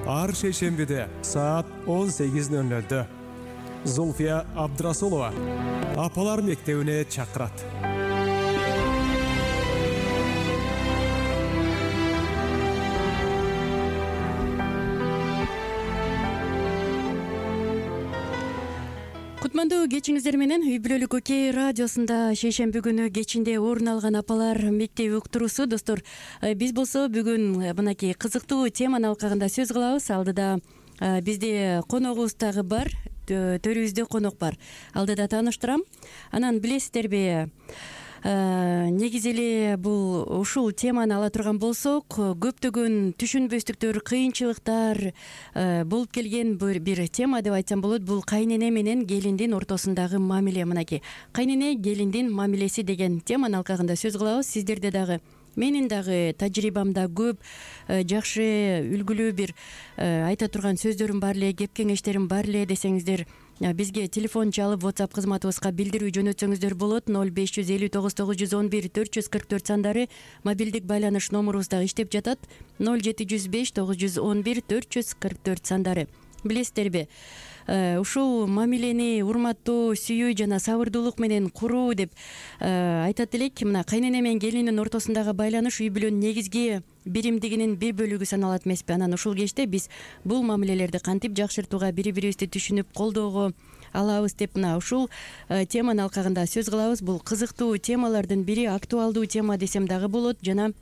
ар шейшембиде саат 18:00 Зульфия Абдрасулова апалар мектебине чакырат. Кутмандуу кечиңиздер менен үй бүлөлүк Окей радиосунда шейшемби күнү кечинде орун алган апалар мектеби уктуруусу. Достор, биз болсо бүгүн мынакей кызыктуу теманын алкагында сөз кылабыз. Алдыда бизде коногубуз дагы бар, төрүбүздө конок бар. Алдыда тааныштырам. Анан билесиздерби, негизи эле бул ушул теманы ала турган болсок, көптөгөн түшүнбөстүктөр, кыйынчылыктар болуп келген бир тема деп айтсам болот. Бул кайнене менен келиндин ортосундагы мамиле. Мынакей кайнене келиндин мамилеси деген теманын алкагында сөз кылабыз. Сиздерде дагы, менин дагы тажрыйбамда көп жакшы үлгүлүү бир айта турган сөздөрүм бар эле, кеп кеңештерим бар эле десеңиздер, бизге телефон чалып WhatsApp кызматыбызга билдирүү жөнөтсөңүздөр болот. 0559 911 444 сандары мобилдик байланыш номурубуз дагы иштеп жатат. 0705 911 444 сандары. Билесиздерби, ушул мамилени урматтоо, сүйүү жана сабырдуулук менен куруу деп айтат элек. Мына кайнене менен келиндин ортосундагы байланыш үй бүлөнүн негизги биримдигинин бир бөлүгү саналат эмеспи? Анан ушул кечте биз бул мамилелерди кантип жакшыртууга, бири-бирибизди түшүнүп колдоого алабыз деп мына ушул теманын алкагында сөз кылабыз. Бул кызыктуу темалардын бири, актуалдуу тема десем дагы болот. Жана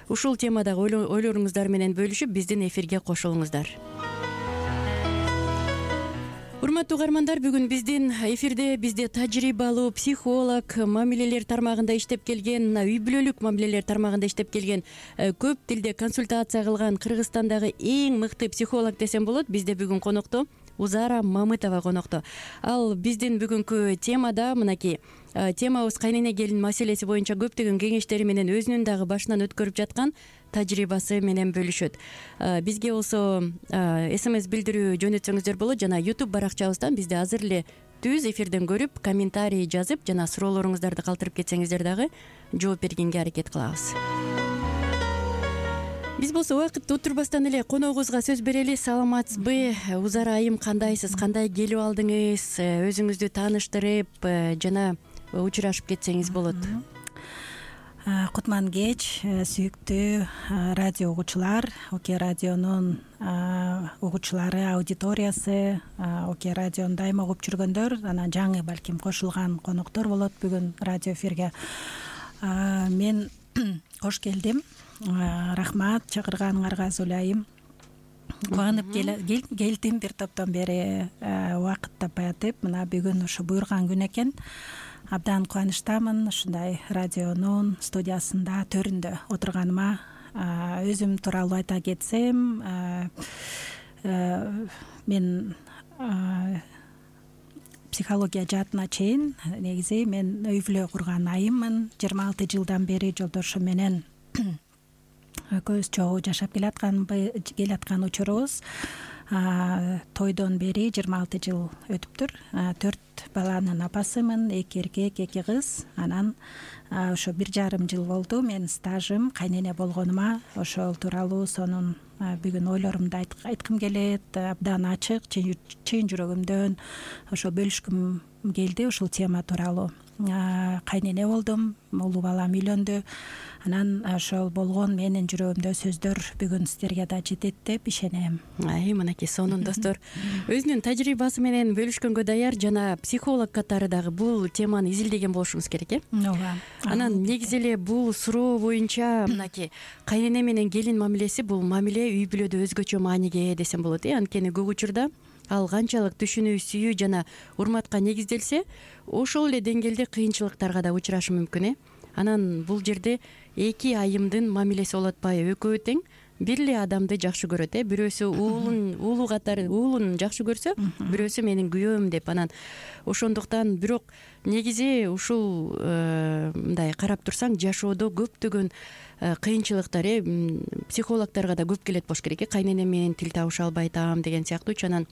ушул темадагы ойлоруңуздар менен бөлүшүп биздин эфирге кошулуңуздар. Урматтуу каармандар, бүгүн биздин эфирде бизде тажрыйбалуу психолог, мамилелер тармагында иштеп келген, үй бүлөлүк мамилелер тармагында иштеп келген, көп тилде консультация кылган Кыргызстандагы эң мыкты психолог десем болот. Бизде бүгүн конокто Узара Мамытова конокто. Ал биздин бүгүнкү темада, мынакей темабыз кайнене келин маселеси боюнча көптөгөн кеңештери менен өзүнүн дагы башынан өткөрүп жаткан тажрыйбасы менен бөлүшөт. Бизге болсо SMS билдирүү жөнөтсөңүздөр болот жана YouTube баракчабыздан бизди азыр эле түз эфирден көрүп, комментарий жазып жана суроолоруңуздарды калтырып кетсеңиздер дагы жооп бергенге аракет кылабыз. Биз болсо убакыт утурбастан эле коногубузга сөз берели. Саламатсызбы? Узара айым, кандайсыз? Кандай келип алдыңыз? Өзүңүздү тааныштырып жана учурашып кетсеңиз болот. Кутман кеч, сүйүктүү радио угуучулар, Окей радионун угуучулары, аудиториясы, Окей радиону дайыма угуп жүргөндөр, анан жаңы балким кошулган коноктор болот бүгүн радио эфирге. Мен кош келдим. Рахмат чакырганыңарга, Зулайым. Кубанып келдим, бир топтон бери убакыт таппай атып, мына бүгүн ушу буйрган күн экен. Абдан кубанычтамын ушундай радионун студиясында, төрүндө отурганыма. Өзүм тууралуу айта кетсем, мен психология жаатына чейин негизи мен үй бүлө курган айыммын. 26 жылдан бери жолдошум менен көз чогуу жашап келаткан учурубуз. Тойдон бери 26 жыл өтүптүр. 4 баланын апасымын, 2 эркек, 2 кыз. Анан ошо 1,5 жыл болду мен стажым кайнене болгонума. Ошол тууралуу сонун бүгүн ойлорумду айткым келет. Абдан ачык, чын жүрөгүмдөн ошо бөлүшкүм келди ушул тема тууралуу. Кайнене болдум, улуу балам үйлөндү. Анан ошол болгон менин жүрөгүмдө сөздөр бүгүн сиздерге да жетет деп ишенем. Мынакей сонун достор, өзүнүн тажрыйбасы менен бөлүшкөнгө даяр жана психолог катары дагы бул теманы изилдеген болушуңуз керек, э? Ооба. Анан негизи эле бул суроо боюнча мынакей кайнене менен келин мамилеси бул мамиле үй бүлөдө өзгөчө мааниге ээ десем болот, э? Анткени көп учурда ал канчалык түшүнүү, сүйүү жана урматка негизделсе, ошол эле деңгээлде кыйынчылыктарга да учурашы мүмкүн, э? Анан бул жерде эки айымдын мамилеси болуп атпайбы? Экөө тең бир эле адамды жакшы көрөт, э? Бирөөсү уулу катары уулун жакшы көрсө, бирөөсү менин күйөөм деп. Анан ошондуктан бирок негизи ушул мындай карап турсаң, жашоодо көптөгөн кыйынчылыктар, психологторго да көп келет болуш керек, э? Кайнене менен тил табыша албай атам деген сыяктуучу. Анан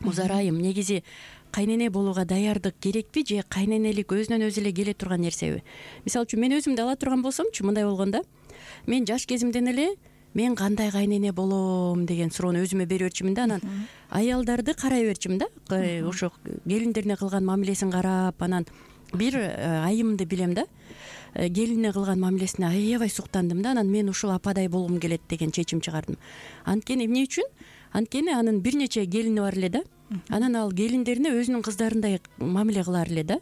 Узара айым, негизи кайнене болууга даярдык керекпи же кайненелик өзүнөн өзү эле келе турган нерсеби? Мисалы үчүн мен өзүмдү ала турган болсомчу, мындай болгондо, мен жаш кезимден эле мен кандай кайнене болом деген суроону өзүмө берип берчүмүн да. Анан аялдарды карай берчүмүн да, ошо келиндерине кылган мамилесин карап. Анан бир айымды билем да, келинине кылган мамилесине аябай суктандым да. Анан мен ушул ападай болгум келет деген чечим чыгардым. Анткени эмне үчүн? Анткени анын бир нече келини бар эле да. Анан ал келиндерине өзүнүн кыздарындай мамиле кылар эле да.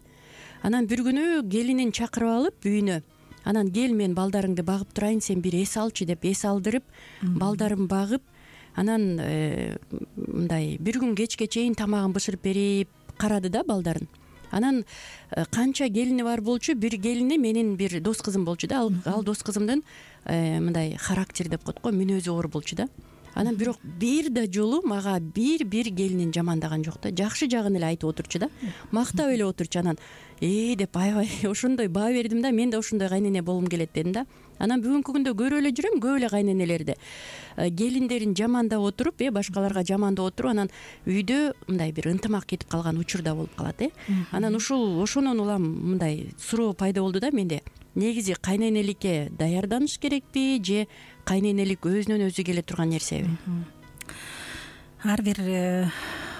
Анан бир күнү келинин чакырып алып үйүнө, анан кел мен балдарыңды багып турайын, сен бир эс алчы деп эс алдырып, балдарын багып, анан мындай бир күн кечке чейин тамагын бышырып берип карады да балдарын. Анан канча келини бар болчу, бир келини менин бир дос кызым болчу да. Ал дос кызымдын мындай характери деп коет го, мүнөзү оор болчу да. Анан бирок бир да жолу мага бир келинин жамандаган жок да. Жакшы жагын эле айтып отурчу да. Мактап эле отурчу. Анан деп аябай ошондой баа бердим да. Мен да ошондой кайнене болгум келет дедим да. Анан бүгүнкү күндө көрүп эле жүрөм көп эле кайненелерди келиндерин жамандап отуруп, башкаларга жамандап отуруп, анан үйдө мындай бир ынтымак кетип калган учур да болуп калат. Анан ошонун улам мындай суроо пайда болду да менде. Негизи кайненеликке даярданыш керекпи же кайненелик өзүнөн өзү келе турган нерсеби? Ар бир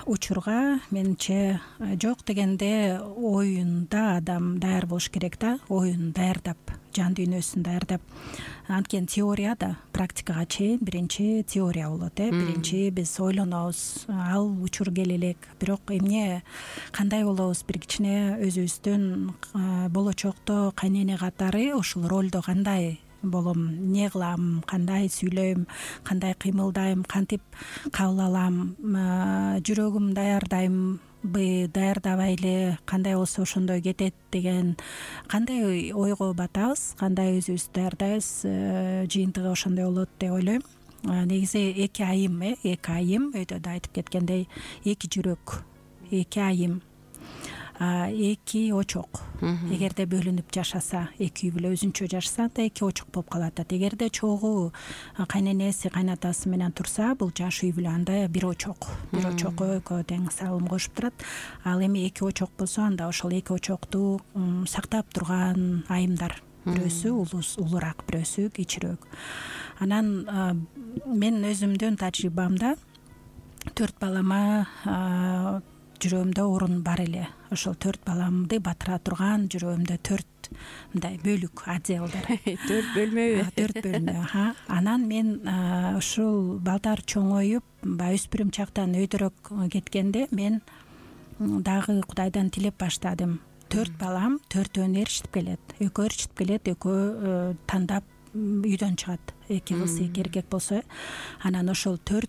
учурга менимче жок дегенде оюнда адам даяр болуш керек да. Оюн даярдап, жан дүйнөсүн даярдап. Анткени теория да практикага чейин биринчи теория болот. Биринчи биз ойлонобуз, ал учур келе элек. Бирок эмне, кандай болобуз, бир кичине өзүбүздүн болочокто кайнене катары ушул ролдо кандай болом, эмне кылам, кандай сүйлөйм, кандай кыймылдайм, кантип кабыл алам, жүрөгүм даярдаймбы, даярдабай эле, кандай болсо ошондой кетет деген кандай ойго батабыз, кандай өзүбүздү даярдайбыз, жыйынтыгы ошондой болот деп ойлойм. Негизи эки айым өйдө да айтып кеткендей, эки жүрөк, эки айым, эки очок. Эгерде бөлүнүп жашаса, эки үй бүлө өзүнчө жашаса, анда эки очок болуп калат. Эгерде чогуу кайненеси, кайнатасы менен турса, бул жаш үй бүлө, анда бир очок экөө тең салым кошуп турат. Ал эми эки очок болсо, анда ошол эки очокту сактап турган айымдар, бирөөсү улуураак, бирөөсү кичирөөк. Анан мен өзүмдүн тажрыйбамда 4 балама жүрөгүмдө орун бар эле. Ошол 4 баламды батыра турган жүрөгүмдө 4 мындай бөлүк, отделдар. 4 бөлмөбү? 4 бөлмө. Анан мен ушул балдар чоңоюп, өспүрүм чактан өйдөрөөк кеткенде мен дагы Кудайдан тилеп баштадым. 4 балам 4-өн эрişип келет. Экөө эрişип келет, экөө тандап үйдөн чыгат. Эки кыз, эки эркек болсо, анан ошол 4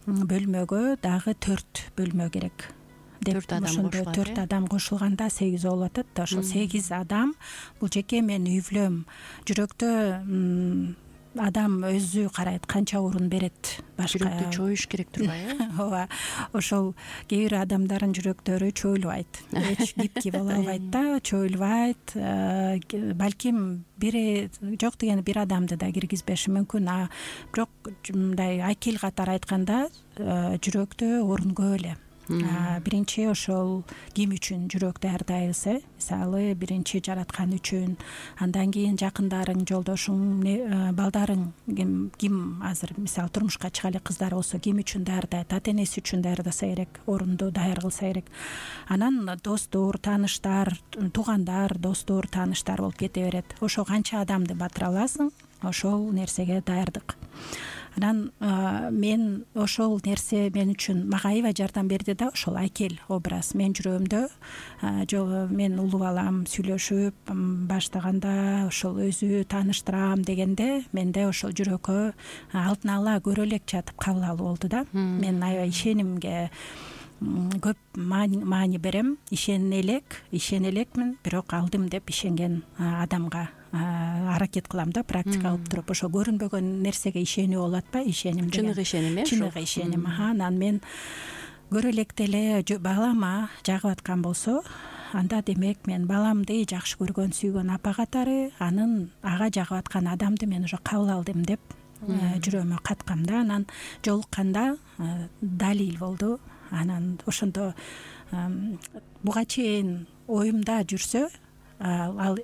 бөлмөгө дагы 4 бөлмө керек деп, ошондо 4 адам кошулганда 8 болуп атат да. Ошол 8 адам бул жеке менин үй бүлөм. Жүрөктө адам өзү карайт, канча орун берет башка. Жүрөктү чоюш керек турбайбы? Ооба. Ошол кээ бир адамдардын жүрөктөрү чоюлбайт. Эч гибкий боло албайт да, чоюлбайт. Балким жок дегенде бир адамды да киргизбеши мүмкүн. Бирок мындай акил катары айтканда, жүрөктө орун көп эле. Биринчи ошол ким үчүн жүрөк даярдайбыз, мисалы биринчи жараткан үчүн, андан кийин жакындарың, жолдошуң, балдарың ким азыр мисалы турмушка чыга элек кыздар болсо ким үчүн даярдайт, ата энеси үчүн даярдаса керек, орунду даяр кылса керек. Анан достор, тааныштар, туугандар, достор, тааныштар болуп кете берет. Ошо канча адамды батыра аласың, ошол нерсеге даярдык. Анан мен ошол нерсе мен үчүн мага аябай жардам берди да, ошол акел образ менин жүрөгүмдө. Мен улуу балам сүйлөшүп баштаганда, ошол өзү тааныштырам дегенде, менде ошол жүрөккө алдын ала көрө элек жатып кабыл алуу болду да. Мен аябай ишенимге көп маани берем. Ишене элекмин, бирок алдым деп ишенген адамга аракет кылам да, практика кылып туруп. Ошо көрүнбөгөн нерсеге ишенүү болуп атпайбы, ишеним деген. Чыныгы ишеним, чыныгы ишеним. Анан мен көрө электе эле балама жагып аткан болсо, анда демек мен баламды жакшы көргөн, сүйгөн апа катары анын ага жагып аткан адамды мен уже кабыл алдым деп жүрөгүмө каткам да. Анан жолукканда далил болду. Анан ошондо буга чейин оюмда жүрсө, ал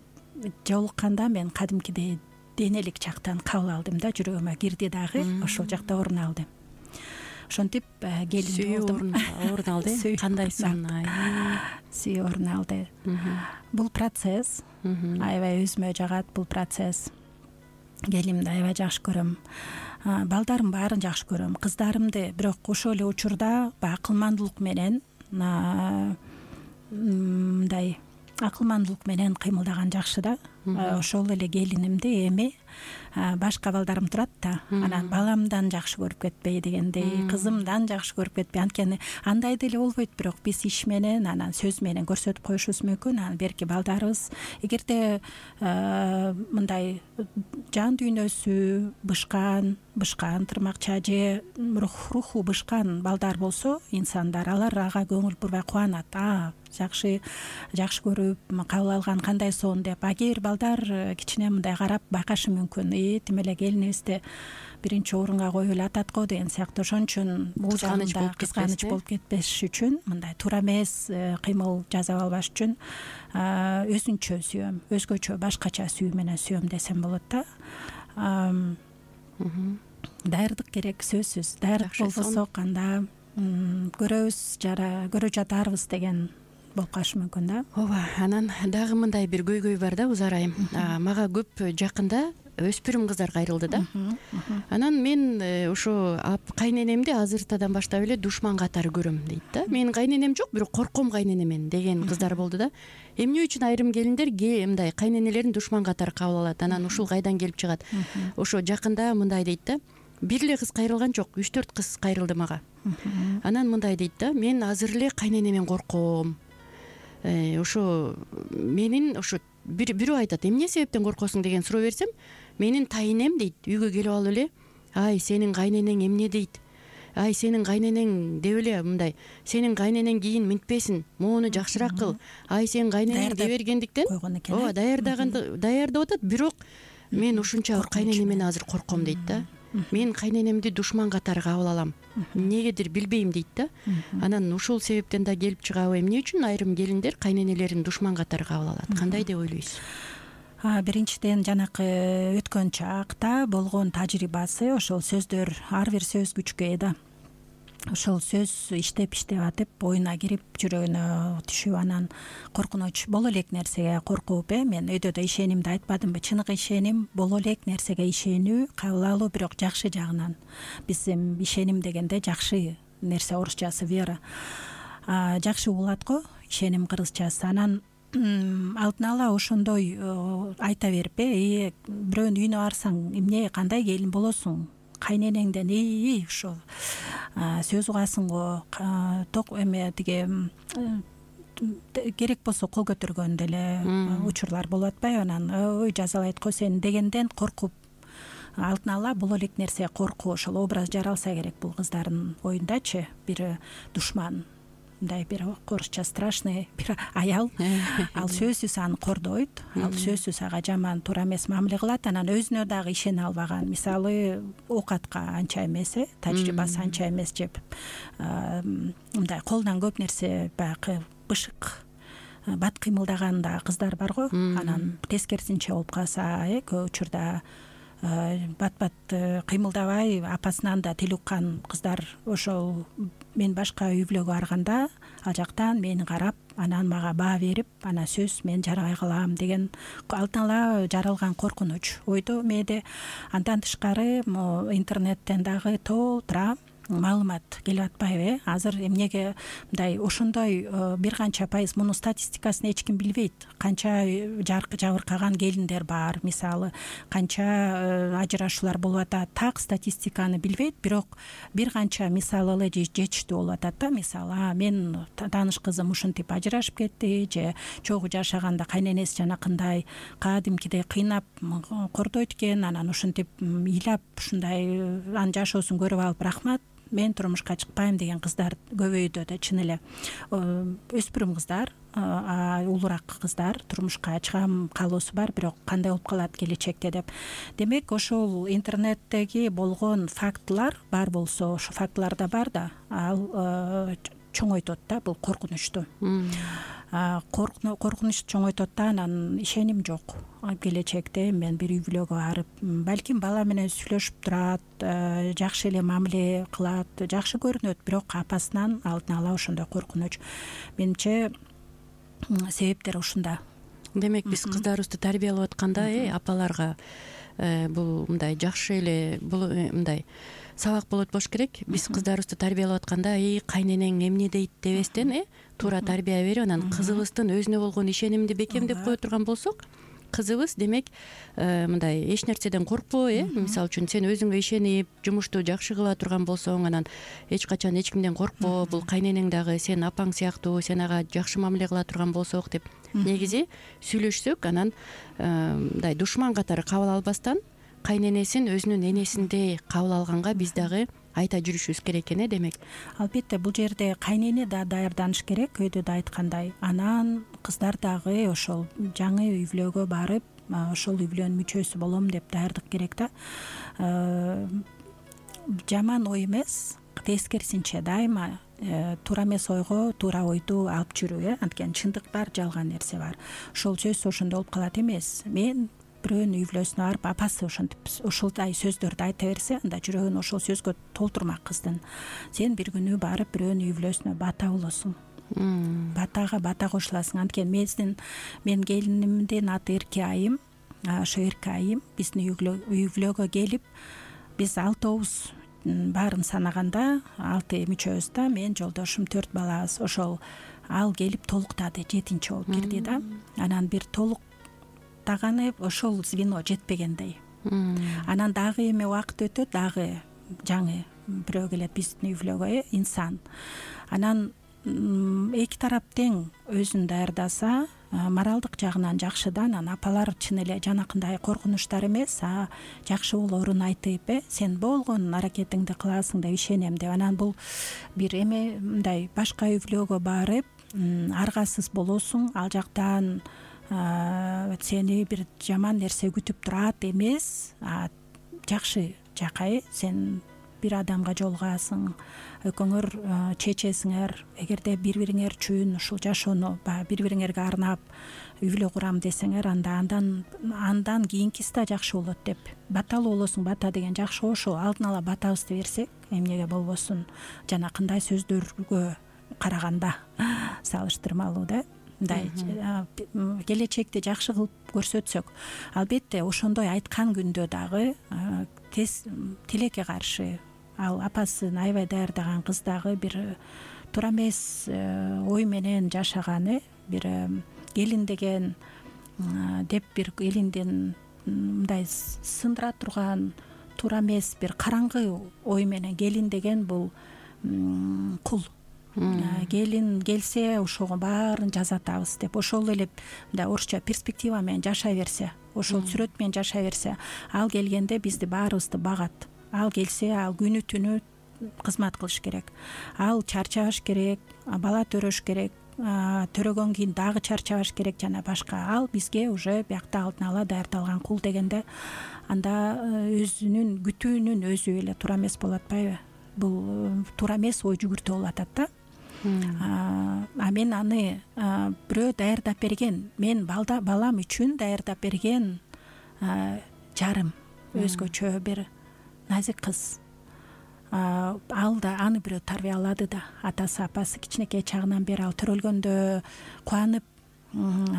жолукканда мен кадимкидей денелик жактан кабыл алдым да, жүрөгүмө кирди дагы, ошол жакта орун алды. Ошентип келин болдум. Орун алды. Кандай сон? Сүйүү орун алды. Бул процесс аябай өзүмө жагат, бул процесс. Келинимди аябай жакшы көрөм. Балдарым баарын жакшы көрөм, кыздарымды, бирок ошол эле учурда акылмандуулук менен мындай акылмандуулук менен кыймылдаган жакшы да. Ошол эле келинимди эми башка балдарым турат да, анан баламдан жакшы көрүп кетпей дегендей, кызымдан жакшы көрүп кетпей. Анткени андай деле болбойт, бирок биз иш менен, анан сөз менен көрсөтүп коюшубуз мүмкүн. Анан берки балдарыбыз эгерде мындай жан дүйнөсү бышкан, тырмакча же руху бышкан балдар болсо, инсандар, алар ага көңүл бурбай кубанат. Жакшы көрүп кабыл алган, кандай сон деп. А кээ бир балдар кичине мындай карап байкашы мүмкүн. Тим эле келинибизди биринчи орунга коюп эле атат го деген сыяктуу. Ошон үчүн бул жагында кызганыч болуп кетпеш үчүн, мындай туура эмес кыймыл жасап албаш үчүн өзүнчө сүйөм, өзгөчө башкача сүйүү менен сүйөм десем болот да. Даярдык керек, сөзсүз. Даярдык болбосо канда көрө жатарбыз деген болуп калышы мүмкүн да. Ооба, анан дагы мындай бир көйгөй бар да, Узар айым. Мага көп жакында өспүрүм кыздар кайрылды да. Анан мен ошо кайненемди азыртадан баштап эле душман катары көрөм дейт да. Менин кайненем жок, бирок корком кайненемен деген кыздар болду да. Эмне үчүн айрым келиндер мындай кайненелерин душман катары кабыл алат? Анан ушул кайдан келип чыгат? Ошо жакында мындай дейт да. Бир эле кыз кайрылган жок, 3-4 кыз кайрылды мага. Анан мындай дейт да. Мен азыр эле кайненемен корком. Ошо менин ошо бирөө айтат, эмне себептен коркосуң деген суроо берсем, менин тайынем дейт, үйгө келип алып эле, ай сенин кайненең эмне дейт, ай сенин кайненең деп эле мындай, сенин кайненең кийин минтпесин, могуну жакшыраак кыл, ай сенин кайненең дей бергендиктен ооба даярдап атат, бирок мен ушунча кайненемден азыр корком дейт да. Мен кайненемди душман катары кабыл алам, эмнегедир билбейм дейт да. Анан ушул себептен да келип чыгабы, эмне үчүн айрым келиндер кайненелерин душман катары кабыл алат? Кандай деп ойлойсуз? Биринчиден жанакы өткөн чакта болгон тажрыйбасы, ошол сөздөр, ар бир сөз күчкө ээ да. Ошол сөз иштеп атып оюна кирип, жүрөгүнө түшүп, анан коркунуч боло элек нерсеге коркуп, мен өйдө да ишенимди айтпадымбы? Чыныгы ишеним, боло элек нерсеге ишенүү, кабыл алуу, бирок жакшы жагынан. Биздин ишеним дегенде жакшы нерсе, орусчасы вера. Жакшы болот го, ишеним кыргызчасы. Анан алдын ала ошондой айта берип, бирөөнүн үйүнө барсаң, эмне, кандай келин болосуң? Кайненеңден ошо сөз угасың го, эме тиги керек болсо кол көтөргөн деле учурлар болуп атпайбы? Анан ой жазалайт го сени дегенден коркуп, алдын ала боло элек нерсе коркуу, ошол образ жаралса керек бул кыздардын оюндачы. Бир душман, мындай бир орусча страшный бир аял, ал сөзсүз аны кордойт, ал сөзсүз ага жаман, туура эмес мамиле кылат. Анан өзүнө дагы ишене албаган, мисалы оокатка анча эмес, тажрыйбасы анча эмес, жеп мындай колунан көп нерсе баягы бышык бат кыймылдаган да кыздар бар го. Анан тескерисинче болуп калса, көп учурда бат кыймылдабай апасынан да тил уккан кыздар. Ошол мен башка үй бүлөгө барганда ал жактан мени карап, анан мага баа берип, анан сөз мен жарабай калам деген алдын ала жаралган коркунуч ойдо мээде. Андан тышкары интернеттен дагы толтура маалымат келип атпайбы? Азыр эмнеге мындай ошондой бир канча пайыз, мунун статистикасын эч ким билбейт. Канча жабыркаган келиндер бар, мисалы канча ажырашуулар болуп атат, так статистиканы билбейт, бирок бир канча мисалы эле жетиштүү болуп атат да. Мисалы, мен тааныш кызым ушинтип ажырашып кетти, же чогуу жашаганда кайненеси жанакындай кадимкидей кыйнап кордойт экен, анан ушинтип ыйлап ушундай анын жашоосун көрүп алып, рахмат, мен турмушка чыкпайм деген кыздар көбөйдү да. Чын эле өспүрүм кыздар, улураак кыздар турмушка чыгам каалоосу бар, бирок кандай болуп калат келечекте деп. Демек ошол интернеттеги болгон фактылар бар болсо, ошо фактылар да бар да, ал чоңойтот да бул коркунучту. коркунуч чоңойтот да, анан ишеним жок. Келечекте мен бир үй бүлөгө барып, балким бала менен сүйлөшүп турат, жакшы эле мамиле кылат, жакшы көрүнөт, бирок апасынан алдын ала ошондой коркунуч. Менимче себептер ушунда. Демек биз кыздарыбызды тарбиялап атканда апаларга бул мындай жакшы эле бул мындай сабак болот болуш керек. Биз кыздарыбызды тарбиялап атканда кайненең эмне дейт дебестен туура тарбия берип, анан кызыбыздын өзүнө болгон ишенимди бекемдеп кое турган болсок, кызыбыз демек мындай эч нерседен коркпой, мисалы үчүн сен өзүңө ишенип жумушту жакшы кыла турган болсоң, анан эч качан эч кимден коркпо, бул кайненең дагы сен апаң сыяктуу, сен ага жакшы мамиле кыла турган болсок деп негизи сүйлөшсөк, анан мындай душман катары кабыл албастан кайненесин өзүнүн энесиндей кабыл алганга биз дагы айта жүрүшүбүз керек экен. Демек албетте бул жерде кайнене да даярданыш керек, өйдө да айткандай. Анан кыздар дагы ошол жаңы үй бүлөгө барып, ошол үй бүлөнүн мүчөсү болом деп даярдык керек да. Жаман ой эмес, тескерисинче дайыма туура эмес ойго туура ойду алып жүрүү, анткени чындык бар, жалган нерсе бар. Ошол сөз ошондой болуп калат эмес. Мен бирөөнүн үй бүлөсүнө барып, апасы ошентип ушулдай сөздөрдү айта берсе, анда жүрөгүн ошол сөзгө толтурмак кыздын. Сен бир күнү барып бирөөнүн үй бүлөсүнө бата болосуң. Батага бата кошуласың. Анткени мен келинимдин аты Эрке айым. Ошо Эрке айым биздин үй бүлөгө келип, биз 6 баарын санаганда 6 мүчөбүз да, мен жолдошум 4 балабыз. Ошол ал келип толуктады, 7-чи болуп кирди да. Анан бир толуктаганы ошол звено жетпегендей. Анан дагы эме убакыт өтөт, дагы жаңы бирөө келет биздин үй бүлөгө, инсан. Анан эки тарап тең өзүн даярдаса, моралдык жагынан жакшы да. Анан апалар чын эле жанакындай коркунучтар эмес, жакшы болоорун айтып, сен болгон аракетиңди кыласың деп ишенем деп. Анан бул бир эме мындай башка үй бүлөгө барып, аргасыз болосуң, ал жактан сени бир жаман нерсе күтүп турат эмес, жакшы жакай, сен бир адамга жолугасың, экөөңөр чечесиңер, эгерде бири бириңер үчүн ушул жашоону бири бириңерге арнап үй бүлө курам десеңер, андан кийинкиси да жакшы болот деп баталуу болосуң. Бата деген жакшы, ошо алдын ала батабызды берсек, эмнеге болбосун, жанакындай сөздөргө караганда салыштырмалуу да. Мындай келечекти жакшы кылып көрсөтсөк, албетте ошондой айткан күндө дагы тилекке каршы ал апасын аябай даярдаган кыз дагы бир туура эмес ой менен жашаганы, бир келин деген деп бир келиндин мындай сындыра турган туура эмес бир караңгы ой менен, келин деген бул кул. Келин келсе ошого баарын жазатабыз деп, ошол эле мындай орусча перспектива менен жашай берсе, ошол сүрөт менен жашай берсе, ал келгенде бизди баарыбызды багат. Ал келсе, ал күнү түнү кызмат кылыш керек. Ал чарчабаш керек, бала төрөш керек, төрөгөн кийин дагы чарчабаш керек жана башка. Ал бизге уже биякта алдын ала даярдалган кул дегенде, анда өзүнүн күтүүнүн өзү эле туура эмес болуп атпайбы? Бул туура эмес ой жүгүртүү болуп атат да. Мен аны бирөө даярдап берген, мен балам үчүн даярдап берген жарым, өзгөчө бир назик кыз. Ал да аны бирөө тарбиялады да. Атасы апасы кичинекей чагынан бери ал төрөлгөндө кубанып,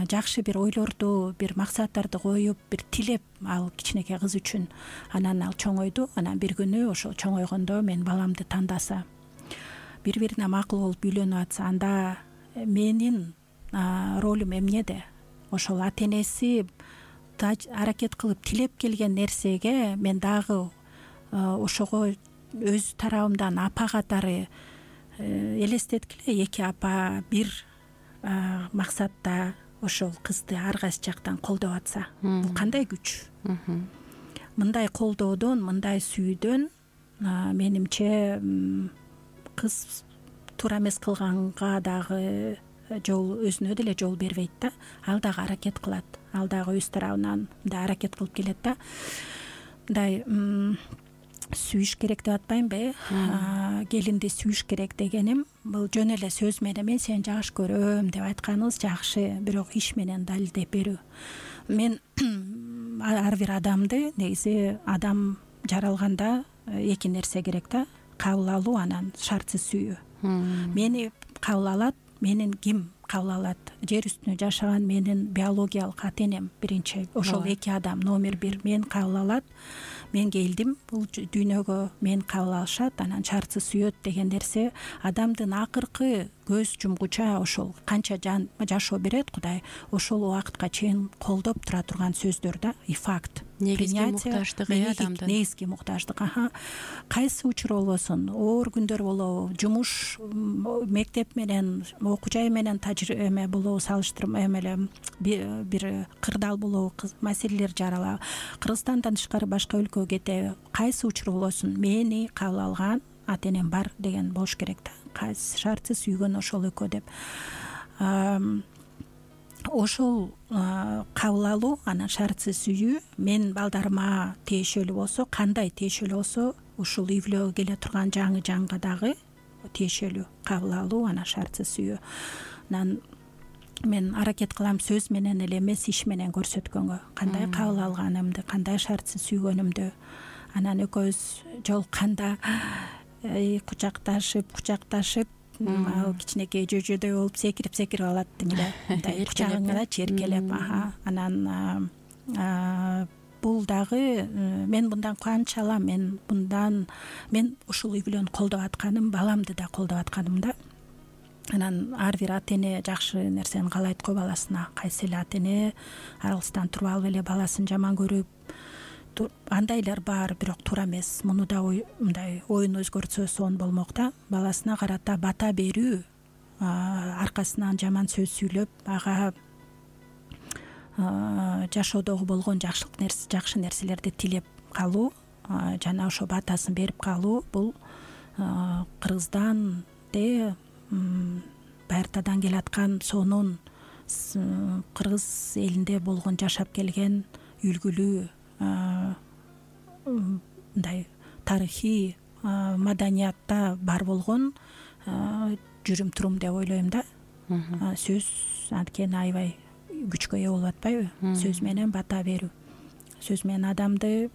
жакшы бир ойлорду, бир максаттарды коюп, бир тилеп ал кичинекей кыз үчүн. Анан ал чоңойду. Анан бир күнү ошол чоңойгондо мен баламды тандаса, бири-бирине макул болуп үйлөнүп атса, анда менин ролум эмнеде? Ошол ата энеси аракет кылып тилеп келген нерсеге мен дагы ошого өз тарабымдан апа катары элестеткиле, эки апа бир максатта ошол кызды ар кайсы жактан колдоп атса, бул кандай күч? Мындай колдоодон, мындай сүйүүдөн менимче кыз туура эмес кылганга дагы өзүнө деле жол бербейт да. Ал дагы аракет кылат, ал дагы өз тарабынан мындай аракет кылып келет да. Мындай сүйүш керек деп атпаймынбы, келинди сүйүш керек дегеним бул жөн эле сөз менен мен сени жакшы көрөм деп айтканыбыз жакшы, бирок иш менен далилдеп берүү. Мен ар бир адамды негизи адам жаралганда эки нерсе керек да: кабыл алуу, анан шартсыз сүйүү. Мени кабыл алат, менин ким кабыл алат? Жер үстүндө жашаган менин биологиялык ата энем биринчи. Ошол эки адам номер бир. Мен кабыл алат, мен келдим бул дүйнөгө, мен кабыл алышат, анан шартсыз сүйөт деген нерсе адамдын акыркы көз жумгуча ошол канча жашоо берет Кудай, ошол убакытка чейин колдоп тура турган сөздөр да, и факт. Негизги муктаждык адамдын. Негизги муктаждык. Кайсы учур болбосун, оор күндөр болобу, жумуш, мектеп менен, окуу жай менен тажрыйба болобу, салыштырма эле бир кырдаал болобу, маселелер жарала, Кыргызстандан тышкары башка өлкөгө кетеби, кайсы учур болбосун мени кабыл алган ата энем бар деген болуш керек да. Кайсы шартсыз сүйгөн ошол экөө деп. Ошол кабыл алуу, анан шартсыз сүйүү мен балдарыма тиешелүү болсо, кандай тиешелүү болсо, ушул үй бүлөгө келе турган жаңы жанга дагы тиешелүү. Кабыл алуу, анан шартсыз сүйүү. Анан мен аракет кылам сөз менен эле эмес, иш менен көрсөткөнгө, кандай кабыл алганымды, кандай шартсыз сүйгөнүмдү. Анан экөөбүз жолукканда кучакташып ал кичинекей жөжөдөй болуп секирип алат эле, мындай кучагыңда черкелеп. Анан бул дагы мен мындан кубаныч алам. Мен ушул үй бүлөнү колдоп атканым, баламды да колдоп атканым да. Анан ар бир ата эне жакшы нерсени каалайт го баласына. Кайсы эле ата эне аралыктан туруп алып эле баласын жаман көрүп, андайлар бар, бирок туура эмес. Муну да мындай оюн өзгөртсө сонун болмок да. Баласына карата бата берүү, аркасынан жаман сөз сүйлөп, ага жашоодогу болгон жакшы нерселерди тилеп калуу, жана ошо батасын берип калуу, бул Кыргызданде байыртадан келаткан сонун кыргыз элинде болгон жашап келген үлгүлүү мындай тарыхый маданиятта бар болгон жүрүм турум деп ойлойм да. Сөз анткени аябай күчкө ээ болуп атпайбы? Сөз менен бата берүү. Сөз менен адамды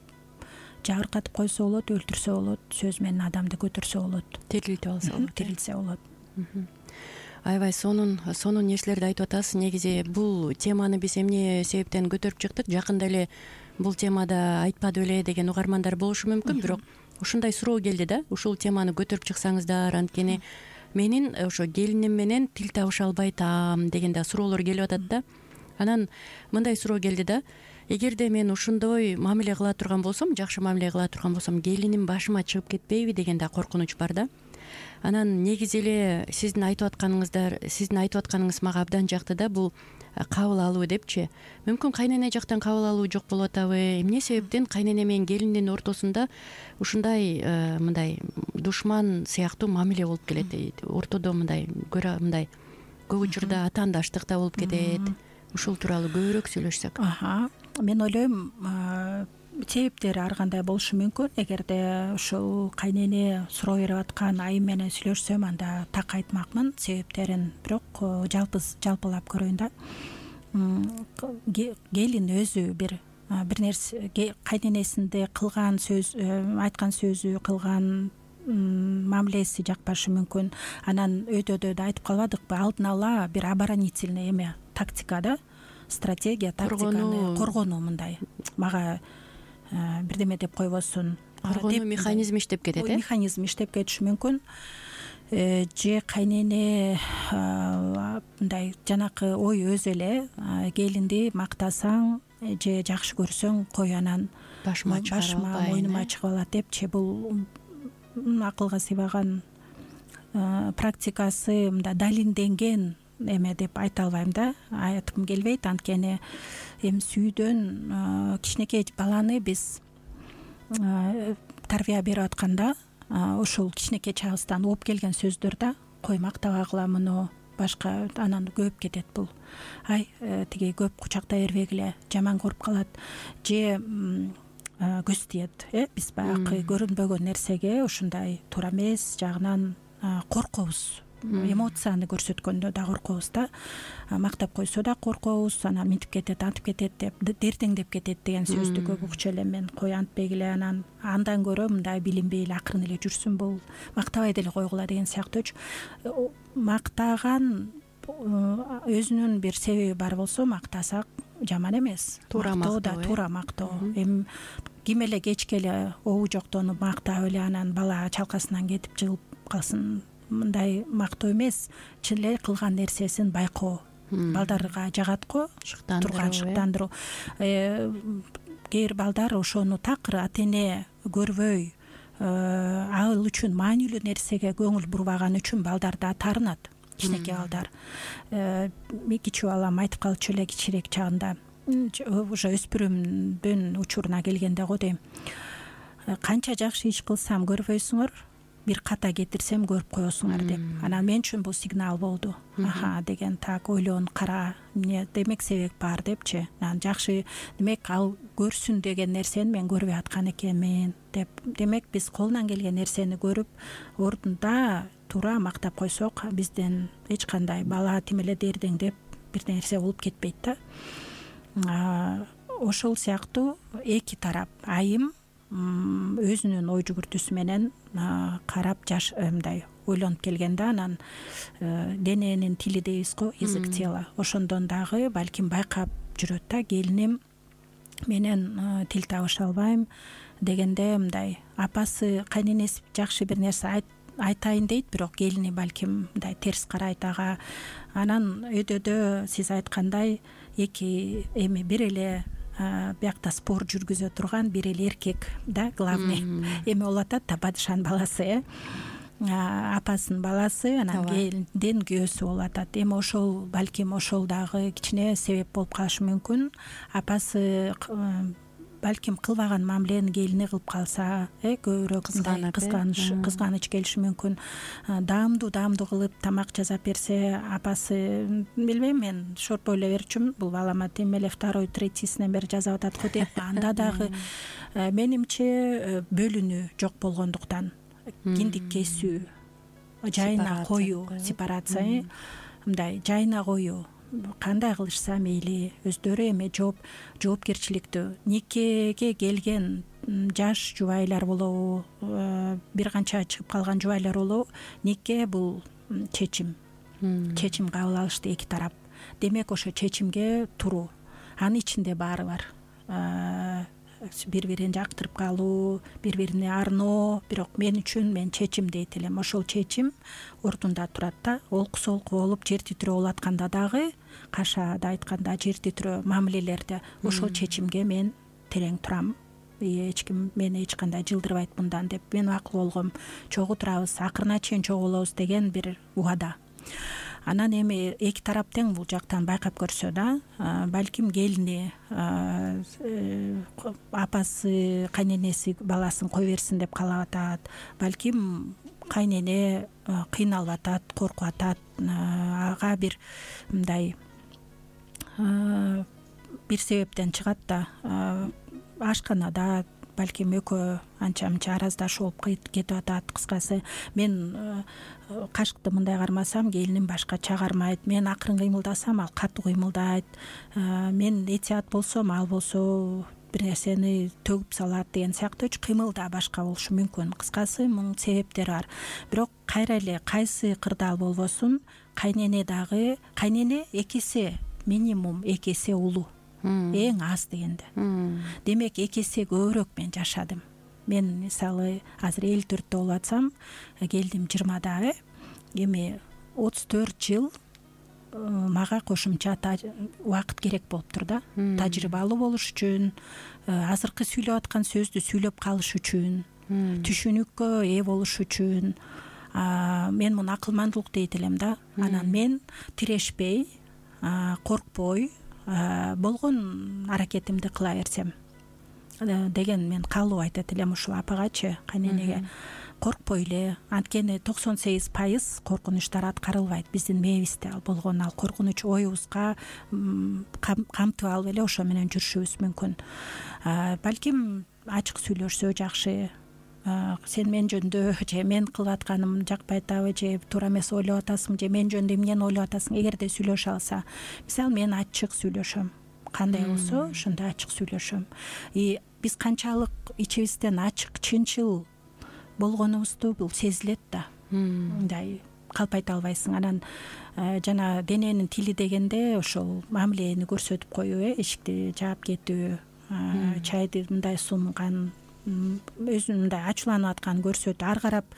жабыркатып койсо болот, өлтүрсө болот, сөз менен адамды көтөрсө болот, тирилсе болот. Аябай сонун нерселерди айтып атасыз. Негизи бул теманы биз эмне себептен көтөрүп чыктык? Жакында эле бул темада айтпады беле деген угармандар болушу мүмкүн, бирок ушундай суроо келди да. Ушул теманы көтөрүп чыксаңыздар, анткени менин ошо келиним менен тил табыша албай атам деген да суроолор келип атат да. Анан мындай суроо келди да: эгерде мен ушундой мамиле кыла турган болсом, жакшы мамиле кыла турган болсом, келиним башыма чыгып кетпейби деген да коркунуч бар да. Анан негизи эле сиздин айтып атканыңыз мага абдан жакты да. Бул кабыл алуу депчи. Мүмкүн кайнене жактан кабыл алуу жок болуп атабы? Эмне себептен кайнене менен келиндин ортосунда ушундай мындай душман сыяктуу мамиле болуп келет? Ортодо мындай көп учурда атаандаштык да болуп кетет. Ушул тууралуу көбүрөөк сүйлөшсөк. Мен ойлойм, себептери ар кандай болушу мүмкүн. Эгерде ушул кайнене суроо берип аткан айым менен сүйлөшсөм, анда так айтмакмын себептерин, бирок жалпылап көрөйүн да. Келин өзү бир нерсе, кайненесинде кылган сөз, айткан сөзү, кылган мамилеси жакпашы мүмкүн. Анан өйдөдө да айтып калбадыкпы, алдын ала бир оборонительный эме, тактика да, стратегия, тактиканы коргонуу. Мындай мага бирдеме деп койбосун, коргонуу механизми иштеп кетет. Механизм иштеп кетиши мүмкүн. Же кайнене мындай жанакы ой өзү эле, келинди мактасаң же жакшы көрсөң кой, анан башыма мойнума чыгып алат депчи. Бул акылга сыйбаган практикасы, мындай далилденген эме деп айта албайм да, айткым келбейт. Анткени эми сүйүүдөн кичинекей баланы биз тарбия берип атканда, ошол кичинекей чагыбыздан угуп келген сөздөр да, кой мактабагыла муну, башка, анан көбөйүп кетет бул. Тиги көп кучактай бербегиле, жаман көрүп калат. Же көз тиет. Биз баягы көрүнбөгөн нерсеге ушундай туура эмес жагынан коркобуз. Эмоцияны көрсөткөндө да коркобуз да, мактап койсо да коркобуз, анан мынтип кетет, антип кетет деп дертеңдеп кетет деген сөздү көп укчу элем мен. Кой антпегиле, андан көрө мындай билинбей эле акырын эле жүрсүн, бул мактабай деле койгула деген сыяктуучу. Мактаган өзүнүн бир себеби бар болсо мактасак жаман эмес. Туура мактоо, туура мактоо. Эми ким эле кечке эле обу жоктонуп мактап эле анан бала чалкасынан кетип жыгып калсын, мындай мактоо эмес. Чын эле кылган нерсесин байкоо. Балдарга жагат го шыктандыруу. Кээ бир балдар ошону такыр ата-эне көрбөй, ал үчүн маанилүү нерсеге көңүл бурбаган үчүн балдар да таарынат. Кичинекей балдар. Кичүү балам айтып калчу эле кичирээк чагында, уже өспүрүмдүн учуруна келгенде го дейм. Канча жакшы иш кылсам көрбөйсүңөр, бир ката кетирсем көрүп коесуңар деп. Анан мен үчүн бул сигнал болду. Аха деген, так ойлон, кара, эмне демек себеп бар депчи. Анан жакшы, демек ал көрсүн деген нерсени мен көрбөй аткан экенмин деп. Демек биз колунан келген нерсени көрүп, ордунда туура мактап койсок, бизден эч кандай бала тим эле дердеңдеп бир нерсе болуп кетпейт да. Ошол сыяктуу эки тарап, айым өзүнүн ой жүгүртүүсү менен карап мындай ойлонуп келгенде, анан дененин тили дейбиз го, язык тела, ошондон дагы балким байкап жүрөт да. Келиним менен тил табыша албайм дегенде, мындай апасы, кайненеси жакшы бир нерсе айтайын дейт, бирок келини балким мындай терс карайт ага. Анан өйдөдө сиз айткандай эки эми бир эле биякта спор жүргүзө турган бир эле эркек да, главный эми болуп атат да, падышанын баласы, апасынын баласы, анан келиндин күйөөсү болуп атат. Эми ошол балким ошол дагы кичине себеп болуп калышы мүмкүн. Апасы балким кылбаган мамилени келини кылып калса, көбүрөөк кызганыч келиши мүмкүн. Даамдуу кылып тамак жасап берсе, апасы, билбейм, мен шорпой эле берчүмүн, бул балама тим эле второй, третийсинен бери жасап атат го деп. Анда дагы менимче бөлүнүү жок болгондуктан, киндик кесүү, жайына коюу, сепарация, мындай жайына коюу. Кандай кылышса мейли, өздөрү эми жоопкерчиликтүү. Никеге келген жаш жубайлар болобу, бир канча чыгып калган жубайлар болобу, нике бул чечим кабыл алышты эки тарап. Демек ошо чечимге туруу, анын ичинде баары бар. Бири-бирин жактырып калуу, бири-бирине арноо, бирок мен үчүн мен чечим дейт элем. Ошол чечим ордунда турат да. Олку солку болуп, жер титирөө болуп атканда дагы, кашаада айтканда жер титирөө мамилелерде, ошол чечимге мен терең турам. Эч ким мени эч кандай жылдырбайт мындан деп. Мен акыл болгом, чогуу турабыз, акырына чейин чогуу болобуз деген бир убада. Анан эми эки тарап тең бул жактан байкап көрсө да, балким келини апасы, кайненеси баласын кой берсин деп каалап атат, балким кайнене кыйналып атат, коркуп атат, ага бир мындай бир себептен чыгат да, ашканада балким экөө анча-мынча араздашуу болуп кетип атат. Кыскасы, мен кашыкты мындай кармасам, келиним башкача кармайт, мен акырын кыймылдасам, ал катуу кыймылдайт, мен этият болсом, ал болсо бир нерсени төгүп салат деген сыяктуу кыймыл да башка болушу мүмкүн. Кыскасы, мунун себептери бар. Бирок кайра эле кайсы кырдаал болбосун, кайнене дагы, кайнене экесе, минимум экесе улуу, эң аз дегенде. Демек экесе көбүрөөк мен жашадым. Мен мисалы азыр 54 болуп атсам, келдим 20-да, эми 34 жыл мага кошумча убакыт керек болуптур да. Тажрыйбалуу болуш үчүн, азыркы сүйлөп аткан сөздү сүйлөп калыш үчүн, түшүнүккө ээ болуш үчүн. Мен муну акылмандуулук дейт элем да. Анан мен тирешпей, коркпой, болгон аракетимди кыла берсем деген мен каалоо айтат элем ушул апагачы, кайненеге. Коркпой эле, анткени 98% коркунучтар аткарылбайт биздин мээбизде. Ал болгон ал коркунуч оюбузга камтып алып эле ошо менен жүрүшүбүз мүмкүн. Балким ачык сүйлөшсө жакшы. Сен мен жөнүндө же мен кылып атканым жакпай атабы, же туура эмес ойлоп атасың, же мен жөнүндө эмнени ойлоп атасың. Эгерде сүйлөшө алса, мисалы мен ачык сүйлөшөм, кандай болсо ошондой ачык сүйлөшөм. Биз канчалык ичибизден ачык, чынчыл болгонубузду бул сезилет да. Мындай калп айта албайсың. Анан жана дененин тили дегенде ошол мамилени көрсөтүп коюу, эшикти жаап кетүү, чайды мындай сунган, өзүн мындай ачууланып атканын көрсөтүү, ары карап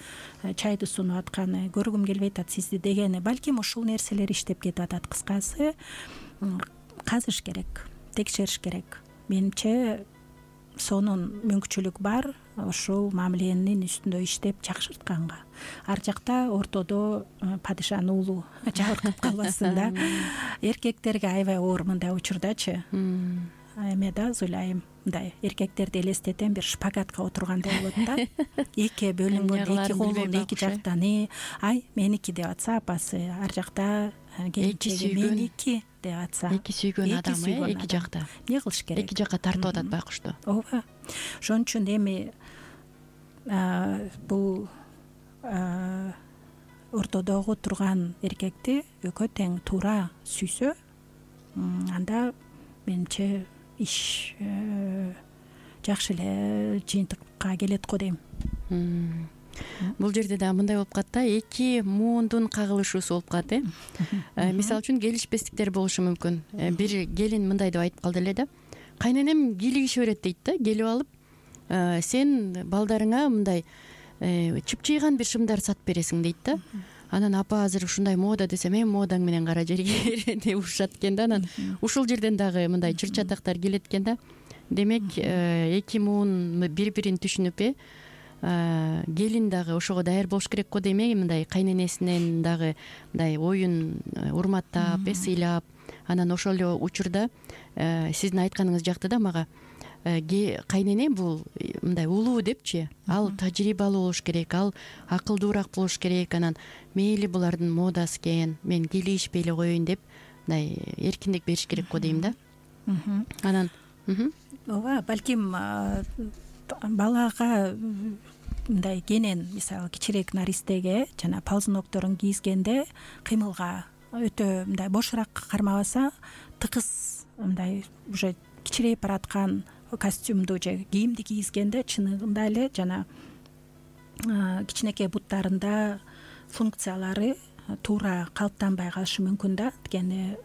чайды сунуп атканы, көргүм келбей атат сизди дегени. Балким ушул нерселер иштеп кетип атат. Кыскасы казыш керек, текшериш керек. Менимче сонун мүмкүнчүлүк бар ушул мамиленин үстүндө иштеп жакшыртканга. Ар жакта ортодо падышанын уулу жабыркап калбасын да. Эркектерге аябай оор мындай учурдачы. Эме да ойлойм, мындай эркектерди элестетем, бир шпагатка отургандай болот да. Эки бөлүнгөн, эки колун эки жактан ай меники деп атса апасы, ар жакта келинчеги меники деп атса, эки сүйгөн адам эки жакта эмне кылыш керек? Эки жакка тартып атат байкушту. Ооба. Ошон үчүн эми бул ортодогу турган эркекти экөө тең туура сүйсө, анда менимче иш жакшы эле жыйынтыкка келет го дейм. Бул жерде да мындай болуп калат да, эки муундун кагылышуусу болуп калат. Мисалы үчүн келишпестиктер болушу мүмкүн. Бир келин мындай деп айтып калды эле да, кайненем кийлигише берет дейт да, келип алып, сен балдарыңа мындай чыпчыйган бир шымдар сатып бересиң дейт да. Анан апа азыр ушундай мода десем, модаң менен кара жерге деп урушат экен да. Анан ушул жерден дагы мындай чыр-чатактар келет экен да. Демек, эки муун бири-бирин түшүнүп, келин дагы ошого даяр болуш керек го демек, мындай кайненесинен дагы мындай оюн урматтап, сыйлап, анан ошол эле учурда сиздин айтканыңыз жакты да мага. Кайнене бул мындай улуу депчи, ал тажрыйбалуу болуш керек, ал акылдуураак болуш керек. Анан мейли булардын модасы экен, мен кийлигишпей эле коеюн деп мындай эркиндик бериш керек го дейм да. Анан ооба, балким балага мындай кенен, мисалы кичирээк наристеге жана ползунокторун кийизгенде кыймылга өтө мындай бошураак кармабаса, тыкыз мындай уже кичирейип бараткан костюмду же кийимди кийизгенде чыныгында эле жана кичинекей буттарында функциялары туура калыптанбай калышы мүмкүн да. Тигени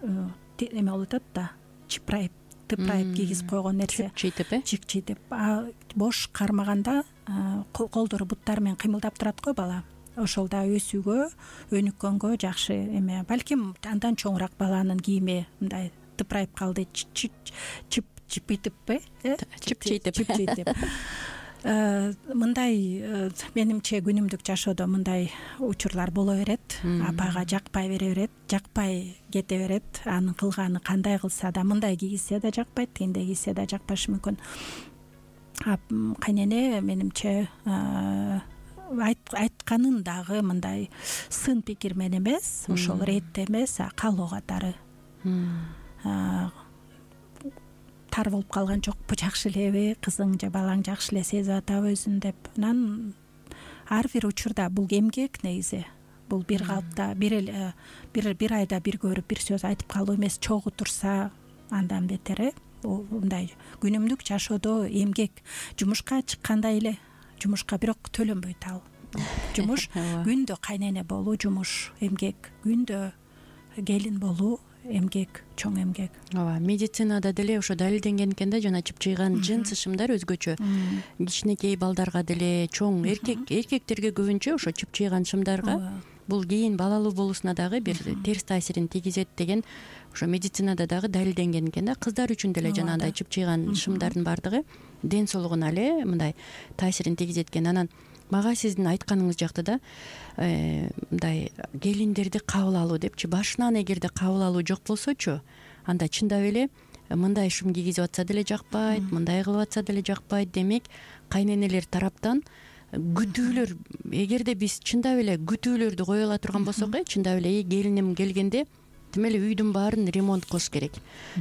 эме болуп атат да, чыпырайып, тыпырайып кийгизип койгон нерсе, чикчитип, бош кармаганда колдору буттары менен кыймылдап турат го бала. Ошол да өсүүгө, өнүккөнгө жакшы эме. Балким андан чоңураак баланын кийими мындай тыпырайып калды, чыпчитип, мындай менимче күнүмдүк жашоодо мындай учурлар боло берет. Апага жакпай бере берет, жакпай кете берет. Анын кылганы кандай кылса да, мындай кийгизсе да жакпайт, тигиндей кийсе да жакпашы мүмкүн. Кайнене менимче айтканын дагы мындай сын пикир менен эмес, ошол ретте эмес, каалоо катары. Тар болуп калган жокпу, жакшы элеби, кызың же балаң жакшы эле сезип атабы өзүн деп. Анан ар бир учурда бул эмгек негизи. Бул бир калыпта бир айда бир көрүп бир сөз айтып калуу эмес, чогуу турса андан бетер. Мындай күнүмдүк жашоодо эмгек, жумушка чыккандай эле, жумушка бирок төлөнбөйт ал. Жумуш күндө кайнене болуу жумуш, эмгек, күндө келин болуу эмгек, чоң эмгек. Ооба, медицинада деле ошо далилденген экен да, жана чыпчыйган жынсы шымдар өзгөчө. Кичинекей балдарга деле, чоң эркектерге көбүнчө ошо чыпчыйган шымдарга бул кийин балалуу болуусуна дагы бир терс таасирин тийгизет деген ошо медицинада дагы далилденген экен да. Кыздар үчүн деле жанагындай чыпчыйган шымдардын баардыгы ден соолугуна эле мындай таасирин тийгизет экен. Анан мага сиздин айтканыңыз жакты да, мындай келиндерди кабыл алуу депчи, башынан эгерде кабыл алуу жок болсочу, анда чындап эле мындай шым кийгизип атса деле жакпайт, мындай кылып атса деле жакпайт. Демек, кайненелер тараптан күтүүлөр, эгерде биз чындап эле күтүүлөрдү кое ала турган болсок, чындап эле келиним келгенде тим эле үйдүн баарын ремонт кылыш керек,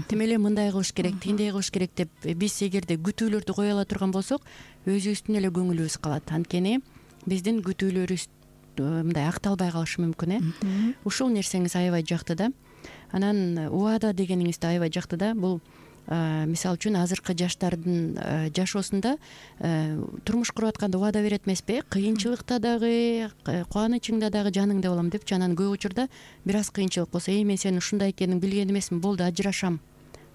тим эле мындай кылыш керек, тигиндей кылыш керек деп биз эгерде күтүүлөрдү кое ала турган болсок, өзүбүздүн эле көңүлүбүз калат. Анткени биздин күтүүлөрүбүз мындай акталбай калышы мүмкүн. Ушул нерсеңиз аябай жакты да. Анан убада дегениңиз да аябай жакты да. Бул мисалы үчүн азыркы жаштардын жашоосунда турмуш куруп атканда убада берет эмеспи? Кыйынчылыкта дагы, кубанычыңда дагы жаныңда болом депчи. Анан көп учурда бир аз кыйынчылык болсо, мен сенин ушундай экенин билген эмесмин, болду ажырашам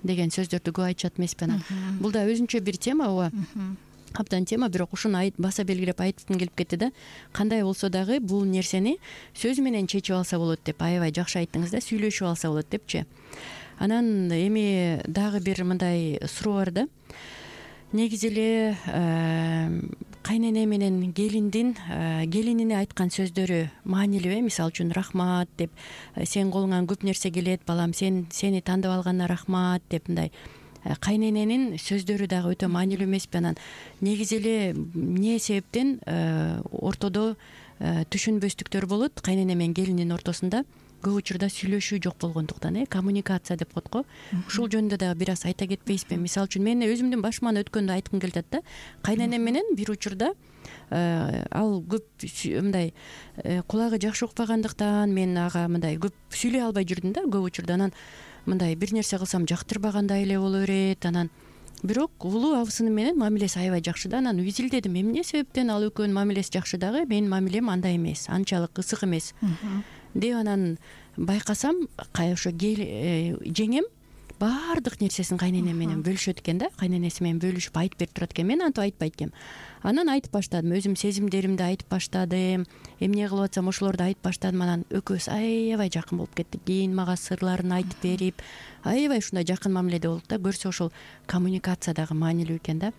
деген сөздөрдү көп айтышат эмеспи? Анан бул да өзүнчө бир тема, ооба. Абдан тема, бирок ушуну баса белгилеп айткым келип кетти да. Кандай болсо дагы бул нерсени сөз менен чечип алса болот деп аябай жакшы айттыңыз да, сүйлөшүп алса болот депчи. Анан эми дагы бир мындай суроо бар да. Негизи эле кайнене менен келинине айткан сөздөрү маанилүүбү? Мисалы үчүн рахмат деп, сен колуңан көп нерсе келет балам, сени тандап алганына рахмат деп, мындай кайнененин сөздөрү дагы өтө маанилүү эмеспи? Анан негизи эле эмне себептен ортодо түшүнбөстүктөр болот кайнене менен келиндин ортосунда? Көп учурда сүйлөшүү жок болгондуктан, коммуникация деп коет го. Ушул жөнүндө дагы бир аз айта кетпейсизби? Мисалы үчүн мен өзүмдүн башыман өткөндү айткым келип атат да. Кайненем менен бир учурда ал көп мындай кулагы жакшы укпагандыктан мен ага мындай көп сүйлөй албай жүрдүм да көп учурда. Анан мындай бир нерсе кылсам жактырбагандай эле боло берет. Анан бирок улуу абысыным менен мамилеси аябай жакшы да. Анан изилдедим, эмне себептен ал экөөнүн мамилеси жакшы дагы менин мамилем андай эмес, анчалык ысык эмес деп. Анан байкасам ошо жеңем баардык нерсесин кайненем менен бөлүшөт экен да. Кайненеси менен бөлүшүп айтып берип турат экен. Мен антип айтпайт экенмин. Анан айтып баштадым, өзүм сезимдеримди айтып баштадым, эмне кылып атсам ошолорду айтып баштадым. Анан экөөбүз аябай жакын болуп кеттик. Кийин мага сырларын айтып берип, аябай ушундай жакын мамиледе болдук да. Көрсө ошол коммуникация дагы маанилүү экен да.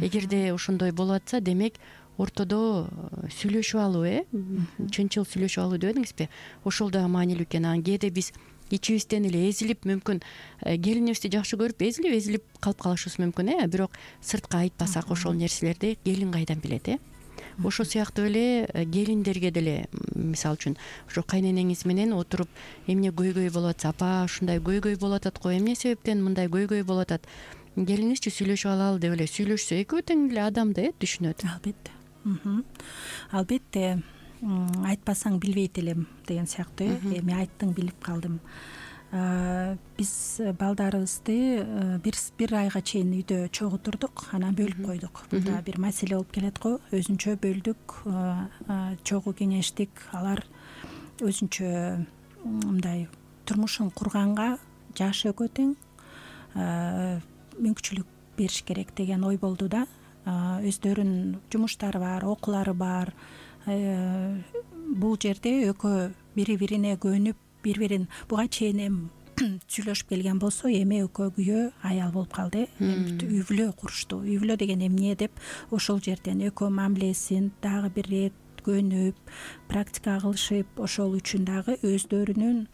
Эгерде ошондой болуп атса, демек ортодо сүйлөшүп алуу, чынчыл сүйлөшүп алуу деп эдиңизби? Ошол дагы маанилүү экен. Анан кээде биз ичибизден эле эзилип, мүмкүн келинибизди жакшы көрүп эзилип калып калышыбыз мүмкүн, бирок сыртка айтпасак ошол нерселерди келин кайдан билет? Ошол сыяктуу эле келиндерге деле, мисалы үчүн ошо кайненеңиз менен отуруп эмне көйгөй болуп атса, апа ушундай көйгөй болуп атат го, эмне себептен мындай көйгөй болуп атат, келиңизчи сүйлөшүп алалы деп эле сүйлөшсө, экөө тең эле адам да түшүнөт. Албетте. Албетте, айтпасаң билбейт элем деген сыяктуу. Эми айттың, билип калдым. Биз балдарыбызды бир айга чейин үйдө чогултурдук, анан бөлүп койдук. Бул бир маселе болуп келет го. Өзүнчө бөлдүк, чогуу кеңештик. Алар өзүнчө мындай турмушун курганга жашы экөө тең, мүмкүнчүлүк бериш керек деген ой болду да. Өздөрүнүн жумуштары бар, окуулары бар. Бул жерде экөө бири-бирине көнүп, бири-бирин буга чейин эми сүйлөшүп келген болсо, эми экөө күйөө аял болуп калды. Үй бүлө курушту. Үй бүлө деген эмне деп ошол жерден экөө мамилесин дагы бир рет көнүп, практика кылышып, ошол үчүн дагы өздөрүнүн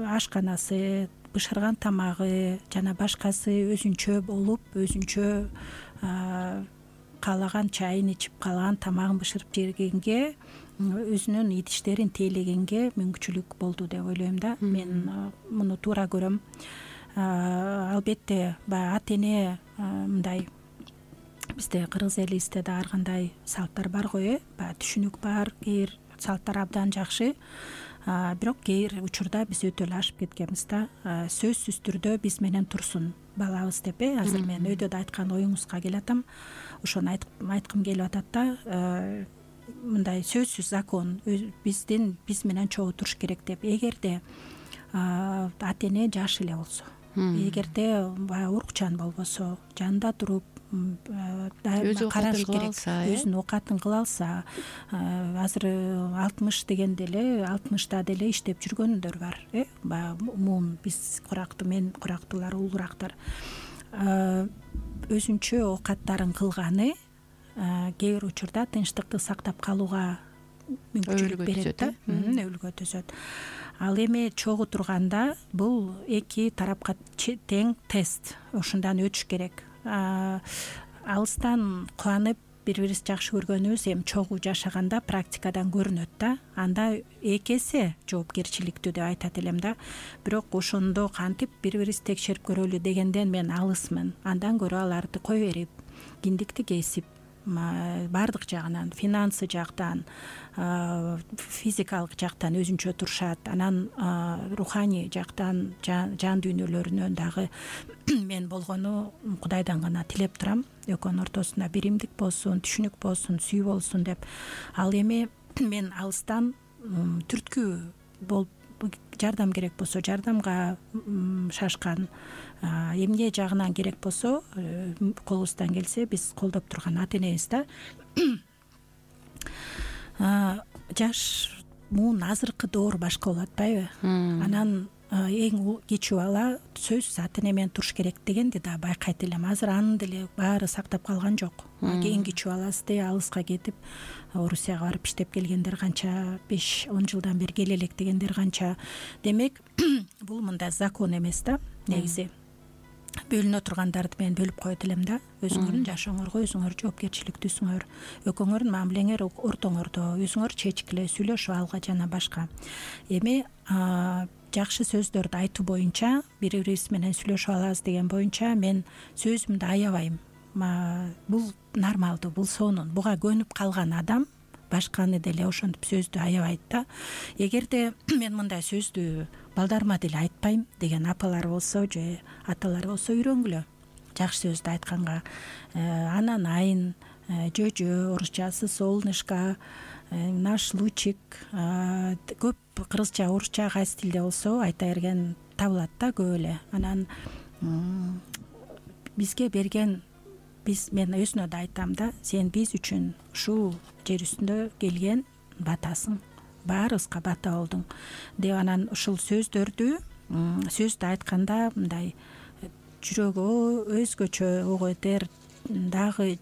ашканасы, бышырган тамагы жана башкасы өзүнчө болуп, өзүнчө каалаган чайын ичип, каалаган тамагын бышырып жегенге, өзүнүн идиштерин тейлегенге мүмкүнчүлүк болду деп ойлойм да. Мен муну туура көрөм. Албетте, баягы ата-эне мындай бизде кыргыз элибизде да ар кандай салттар бар го, баягы түшүнүк бар, кээ бир салттар абдан жакшы. Бирок кээ бир учурда биз өтө эле ашып кеткенбиз да. Сөзсүз түрдө биз менен турсун балабыз деп, азыр мен өйдө да айткан оюңузга келатам. Ошону айткым келип атат да. Мындай сөзсүз закон, биз менен чогуу туруш керек деп. Эгерде ата-эне жаш эле болсо, эгерде баягы урукчан болбосо, жанында туруп караш керек, өзүнүн оокатын кыла алса, азыр 60 дегенде эле 60та деле иштеп жүргөндөр бар, баягы умум биз курактуу, мен курактуулар, улуурактар өзүнчө оокаттарын кылганы кээ бир учурда тынчтыкты сактап калууга мүмкүнчүлүк берет да, өбүлгө төзөт. Ал эми чогуу турганда бул эки тарапка тең тест, ошондон өтүш керек. Алыстан кубанып бири бирибизди жакшы көргөнүбүз эми чогуу жашаганда практикадан көрүнөт да. Анда эки эсе жоопкерчиликтүү деп айтат элем да. Бирок ошондо кантип бири бирибизди текшерип көрөлү дегенден мен алысмын. Андан көрө аларды кое берип, киндикти кесип, баардык жагынан, финансы жактан, физикалык жактан өзүнчө турушат. Анан руханий жактан, жан дүйнөлөрүнөн дагы мен болгону Кудайдан гана тилеп турам. Экөөнүн ортосунда биримдик болсун, түшүнүк болсун, сүй болсун деп. Ал эми мен алыстан түрткү болуп жардам керек болсо жардамга шашкан, эмне жагынан керек болсо колубуздан келсе биз колдоп турган ата энебиз да. Жаш муун азыркы доор башка болуп атпайбы? Анан эң кичүү бала сөзсүз ата эне менен туруш керек дегенди да байкайт элем. Азыр анын деле баары сактап калган жок. Эң кичүү баласы деле алыска кетип, Орусияга барып иштеп келгендер канча, 5-10 жылдан бери келе элек дегендер канча. Демек, бул мындай закон эмес да, негизи. Бөлүнө тургандарды мен бөлүп коет элем да. Өзүңөрдүн жашооңорго өзүңөр жоопкерчиликтүүсүңөр. Экөөңөрдүн мамилеңер ортоңордо өзүңөр чечкиле, сүйлөшүп алга жана башка. Эми жакшы сөздөрдү айтуу боюнча, бири бирибиз менен сүйлөшүп алабыз деген боюнча мен сөзүмдү аябайм. Бул нормалдуу, бул сонун. Буга көнүп калган адам башканы деле ошентип сөздү аябайт да. Эгерде мен мындай сөздү балдарыма деле айтпайм деген апалар болсо же аталар болсо үйрөнгүлө. Жакшы сөздү айтканга анан айын, жөжө, орусчасы солнышко, наш лучик, көп кыргызча, орусча кайсы тилде болсо айта берген табылат да көп эле. Анан бизге берген, мен өзүнө да айтам да, сен биз үчүн ушул жер үстүндө келген батасың, баарыбызга бата болдуң деп. Анан ушул сөздү айтканда мындай жүрөгү өзгөчө ого этер, дагы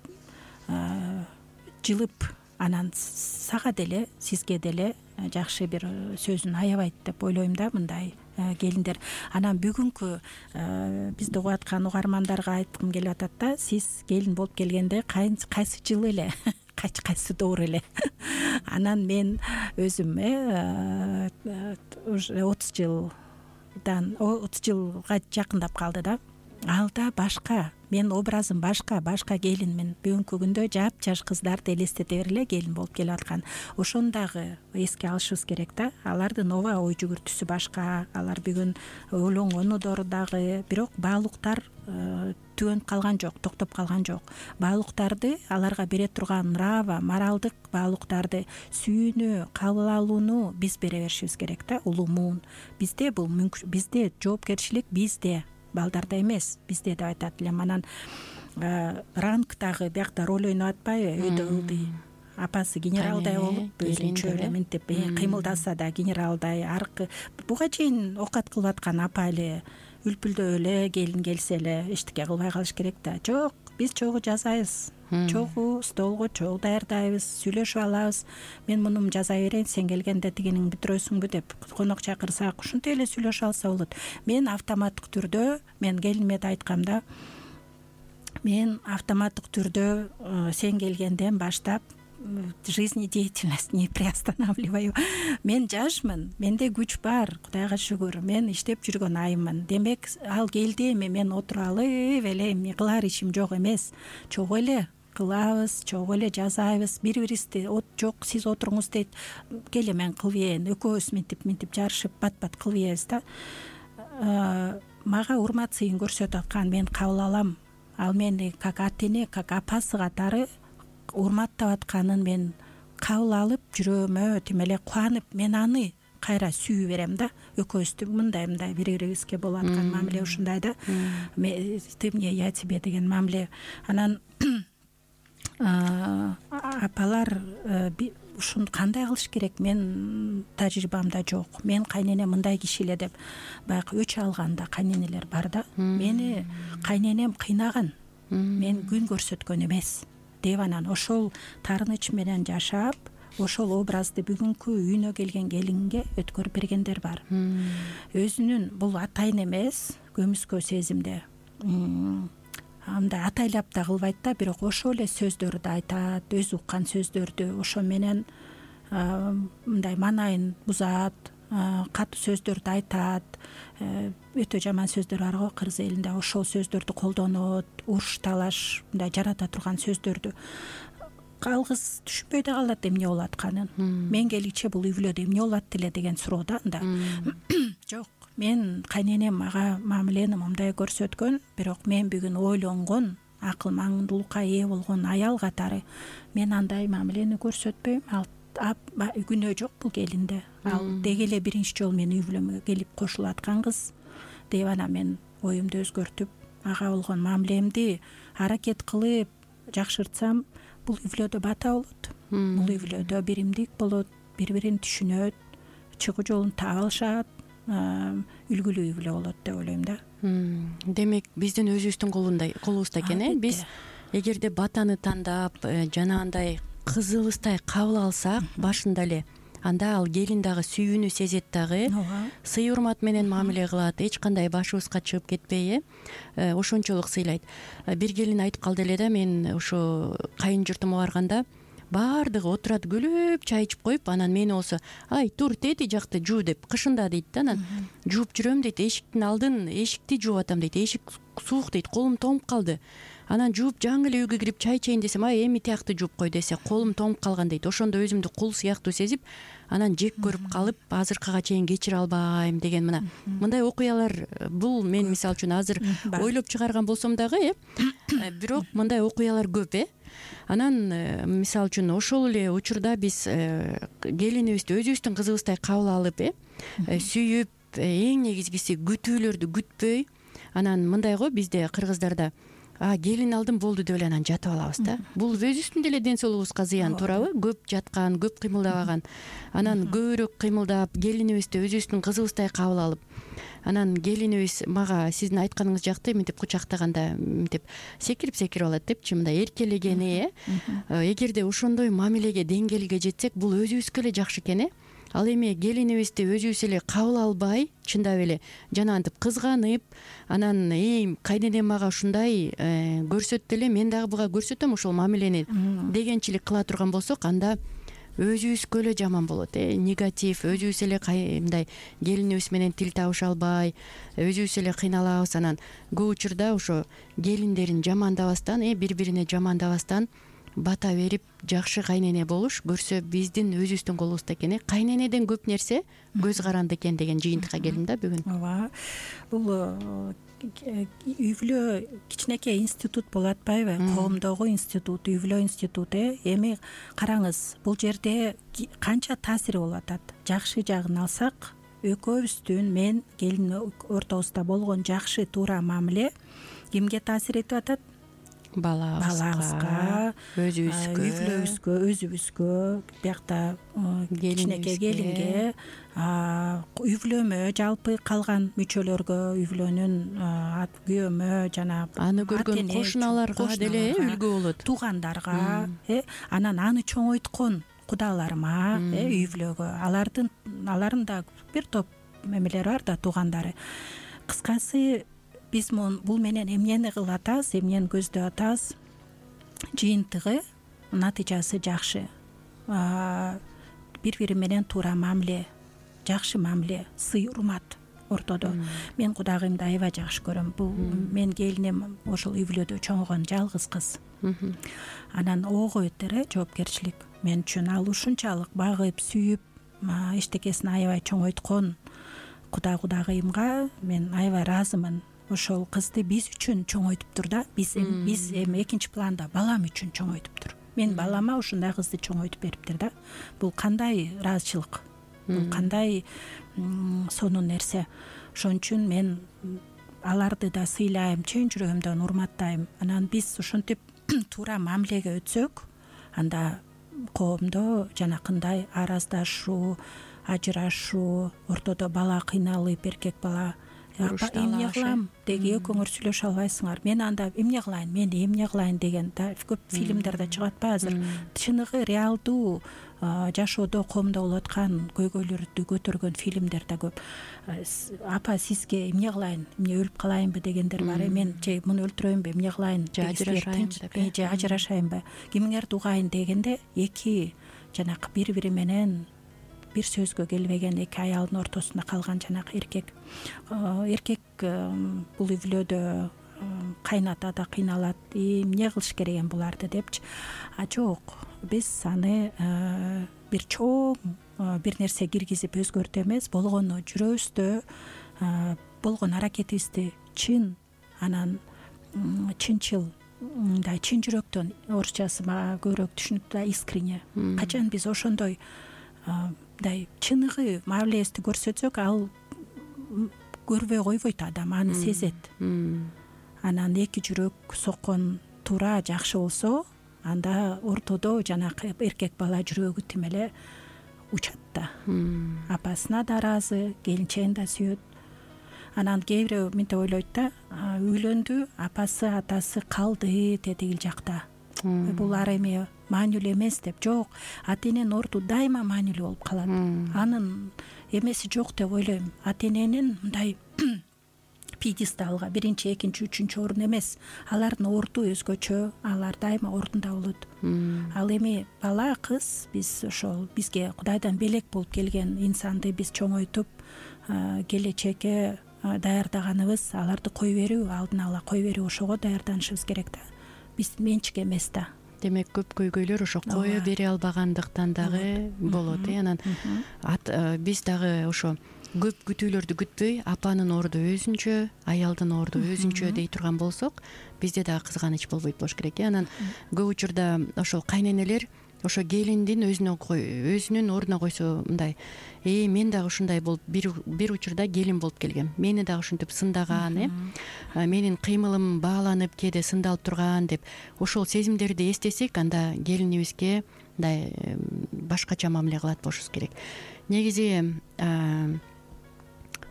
жылып, анан сага деле, сизге деле жакшы бир сөзүн аябайт деп ойлойм да мындай келиндер. Анан бүгүнкү бизди угуп аткан угармандарга айткым келип атат да, сиз келин болуп келгенде кайсы жыл эле, кайсы доор эле? Анан мен өзүм 30 жылга жакындап калды да. Алда башка, мен образым башка келинмин. Бүгүнкү күндө жапжаш кыздарды элестете бергиле келин болуп келип аткан. Ошону дагы эске алышыбыз керек да. Алардын ооба ой жүгүртүүсү башка, алар бүгүн ойлонгону дагы, бирок баалуулуктар түгөнүп калган жок, токтоп калган жок. Баалуулуктарды аларга бере турган нрава, моралдык баалуулуктарды, сүйүүнү, кабыл алууну биз бере беришибиз керек да, улуу муун. Бизде бул бизде жоопкерчилик, бизде, балдарда эмес, бизде деп айтат элем. Анан рангдагы биякта роль ойноп атпайбы? Өйдө ылдый апасы генералдай болуп, өзүнчө эле мынтип кыймылдаса да генералдай, аркы буга чейин оокат кылып аткан апа эле үлпүлдөп эле келин келсе эле эчтеке кылбай калыш керек да. Жок, биз чогуу жасайбыз, чогуу столго чогуу даярдайбыз, сүйлөшүп алабыз. Мен муну жаза берейин, сен келгенде тигинин бүтүрөсүңбү деп конок чакырсак, ушинтип эле сүйлөшүп алса болот. Мен автоматтык түрдө, мен келиниме да айткам да, мен автоматтык түрдө сен келгенден баштап жизнедеятельность не приостанавливаю. Мен жашмын, менде күч бар, Кудайга шүгүр. Мен иштеп жүргөн айыммын. Демек, ал келди, эми мен отуруп алып эле эми кылар ишим жок эмес. Чогуу эле кылабыз, чогуу эле жасайбыз. Бири-бирибизди жок, сиз отуруңуз дейт, келе мен кылып ийин. Экөөбүз мынтип жарышып бат-бат кылып ийбиз да. Мага урмат сыйын көрсөтүп аткан мен кабыл алам. Ал мени как ата эне, как апасы катары урматтап атканын мен кабыл алып, жүрөгүмө тим эле кубанып, мен аны кайра сүйүү берем да. Экөөбүздү мындай бири-бирибизге болуп аткан мамиле ушундай да. Ты мне, я тебе деген мамиле. Анан апалар ушуну кандай кылыш керек? Мен тажрыйбамда жок. Мен кайненем мындай киши эле деп баягы өч алганда кайненелер бар да. Мени кайненем кыйнаган, мен күн көрсөткөн эмес деп, анан ошол таарыныч менен жашап, ошол образды бүгүнкү үйүнө келген келинге өткөрүп бергендер бар. Өзүнүн бул атайын эмес, көмүскө сезимде мындай атайлап да кылбайт да, бирок ошол эле сөздөрдү айтат, өзү уккан сөздөрдү, ошо менен мындай маанайын бузат, катуу сөздөрдү айтат, өтө жаман сөздөр бар го кыргыз элинде, ошол сөздөрдү колдонот, уруш талаш мындай жарата турган сөздөрдү. Ал кыз түшүнбөй да калат эмне болуп атканын. Мен келгиче бул үй бүлөдө эмне болуп атты эле деген суроо да анда. Жок, мен кайненем мага мамилени мындай көрсөткөн, бирок мен бүгүн ойлонгон, акыл маңдуулукка ээ болгон аял катары мен андай мамилени көрсөтпөйм. Ал күнөө жок бул келинде. Ал деги эле биринчи жолу менин үй бүлөмө келип кошулуп аткан кыз деп анан мен оюмду өзгөртүп, ага болгон мамилемди аракет кылып жакшыртсам, бул үй бүлөдө бата болот. Бул үй бүлөдө биримдик болот, бири бирин түшүнөт, чыгуу жолун таап алышат, үлгүлүү үй бүлө болот деп ойлойм да. Демек биздин өзүбүздүн колубузда экен. Биз эгерде батаны тандап, жанагындай кызыбыздай кабыл алсак башында эле, анда ал келин дагы сүйүүнү сезет дагы, сый урмат менен мамиле кылат, эч кандай башыбызга чыгып кетпей, ошончолук сыйлайт. Бир келин айтып калды эле да, мен ошо кайын журтума барганда баардыгы отурат күлүп чай ичип коюп, анан мени болсо ай тур тети жакты жуу деп кышында дейт да, анан жууп жүрөм дейт, эшиктин алдын эшикти жууп атам дейт, эшик суук дейт, колум тоңуп калды. Анан жууп жаңы эле үйгө кирип чай ичейин десем, ай эми тиякты жууп кой десе, колум тоңуп калган дейт. Ошондо өзүмдү кул сыяктуу сезип, анан жек көрүп калып, азыркыга чейин кечире албайм деген мындай окуялар, бул мен мисалы үчүн азыр ойлоп чыгарган болсом дагы, бирок мындай окуялар көп. Анан мисалы үчүн ошол эле учурда биз келинибизди өзүбүздүн кызыбыздай кабыл алып, сүйүп, эң негизгиси күтүүлөрдү күтпөй, анан мындай го бизде кыргыздарда келин алдым болду деп эле анан жатып алабыз да. Бул өзүбүздүн деле ден соолугубузга зыян, туурабы? Көп жаткан, көп кыймылдабаган. Анан көбүрөөк кыймылдап, келинибизди өзүбүздүн кызыбыздай кабыл алып, анан келинибиз мага сиздин айтканыңыз жакты, мынтип кучактаганда мынтип секирип алат депчи, мындай эркелегени. Эгерде ошондой мамилеге, деңгээлге жетсек, бул өзүбүзгө эле жакшы экен. Ал эми келинибизди өзүбүз эле кабыл албай, чындап эле жанагынтип кызганып, анан кайненем мага ушундай көрсөттү эле, мен дагы буга көрсөтөм ошол мамилени дегенчилик кыла турган болсок, анда өзүбүзгө эле жаман болот. Негатив, өзүбүз эле мындай келинибиз менен тил табыша албай, өзүбүз эле кыйналабыз. Анан көп учурда ошо келиндерин жамандабастан, бири-бирине жамандабастан бата берип жакшы кайнене болуш көрсө биздин өзүбүздүн колубузда экен. Кайненеден көп нерсе көз каранды экен деген жыйынтыкка келдим да бүгүн. Ооба. Бул үй бүлө кичинекей институт болуп атпайбы? Коомдогу институт, үй бүлө институту. Эми караңыз, бул жерде канча таасири болуп атат. Жакшы жагын алсак, экөөбүздүн мен келин ортобузда болгон жакшы туура мамиле кимге таасир этип атат? Балабызга, өзүбүзгө, үй бүлөбүзгө, өзүбүзгө, биякта кичинекей келинге, үй бүлөмө, жалпы калган мүчөлөргө, үй бүлөнүн күйөөмө, жана аны көргөн кошуналарга деле үлгү болот, туугандарга, анан аны чоңойткон кудаларыма, үй бүлөгө, алардын да бир топ мемелери бар да, туугандары. Кыскасы, биз бул менен эмнени кылып атабыз, эмнени көздөп атабыз? Жыйынтыгы, натыйжасы жакшы. Бири-бири менен туура мамиле, жакшы мамиле, сый урмат ортодо. Мен кудагыйымды аябай жакшы көрөм. Бул мен келиним ошол үй бүлөдө чоңойгон жалгыз кыз. Анан ого өтөр жоопкерчилик мен үчүн. Ал ушунчалык багып, сүйүп, эчтекесин аябай чоңойткон кудагыйымга мен аябай ыраазымын. Ошол кызды биз үчүн чоңойтуптур да. Биз эми экинчи планда балам үчүн чоңойтуптур. Мен балама ушундай кызды чоңойтуп бериптир да. Бул кандай ыраазычылык, бул кандай сонун нерсе. Ошон үчүн мен аларды да сыйлайм, чын жүрөгүмдөн урматтайм. Анан биз ушинтип туура мамилеге өтсөк, анда коомдо жанакындай араздашуу, ажырашуу, ортодо бала кыйналып, эркек бала апа эмне кылам деги экөөңөр сүйлөшө албайсыңар, мен анда эмне кылайын, мен эмне кылайын деген көп фильмдерде чыгат атпайбы азыр. Чыныгы реалдуу жашоодо коомдо болуп аткан көйгөйлөрдү көтөргөн фильмдер да көп. Апа сизге эмне кылайын, эмне өлүп калайынбы дегендер бар. Мен же муну өлтүрөйүнбү, эмне кылайын, же ажырашайынбы, кимиңерди угайын дегенде эки жанакы бири менен бир сөзгө келбеген эки аялдын ортосунда калган жанакы эркек бул үй бүлөдө кайната да кыйналат, эмне кылыш керек эми буларды депчи. Жок, биз аны бир чоң бир нерсе киргизип өзгөртө эмес, болгону жүрөбүздө болгон аракетибизди чын, анан чынчыл, мындай чын жүрөктөн, орусчасы мага көбүрөөк түшүнүктүү, искренне. Качан биз ошондой мындай чыныгы мамилебизди көрсөтсөк, ал көрбөй койбойт, адам аны сезет. Анан эки жүрөк соккон туура жакшы болсо, анда ортодо жанакы эркек бала жүрөгү тим эле учат да. Апасына да ыраазы, келинчегин да сүйөт. Анан кээ бирөө мынтип ойлойт да, үйлөндү, апасы атасы калды тетигил жакта. Булар эми маанилүү эмес деп. Жок, ата эненин орду дайыма маанилүү болуп калат. Анын эмеси жок деп ойлойм. Ата эненин мындай пьедесталга биринчи, экинчи, үчүнчү орун эмес. Алардын орду өзгөчө, алар дайыма ордунда болот. Ал эми бала, кыз, биз ошол бизге Кудайдан белек болуп келген инсанды биз чоңойтуп, келечекке даярдаганыбыз, аларды кой берүү, алдын ала кой берүү, ошого даярданышыбыз керек да. Биз менчик эмес да. Демек көп көйгөйлөр ошо кое бере албагандыктан дагы болот. Анан биз дагы ошо көп күтүүлөрдү күтпөй, апанын орду өзүнчө, аялдын орду өзүнчө дей турган болсок, бизде дагы кызганыч болбойт болуш керек. Анан көп учурда ошол кайненелер ошо келиндин өзүнүн ордуна койсо, мындай мен дагы ушундай болуп бир учурда келин болуп келгем, мени дагы ушинтип сындаган, менин кыймылым бааланып кээде сындалып турган деп ошол сезимдерди эстесек, анда келинибизге мындай башкача мамиле кылат болушубуз керек. Негизи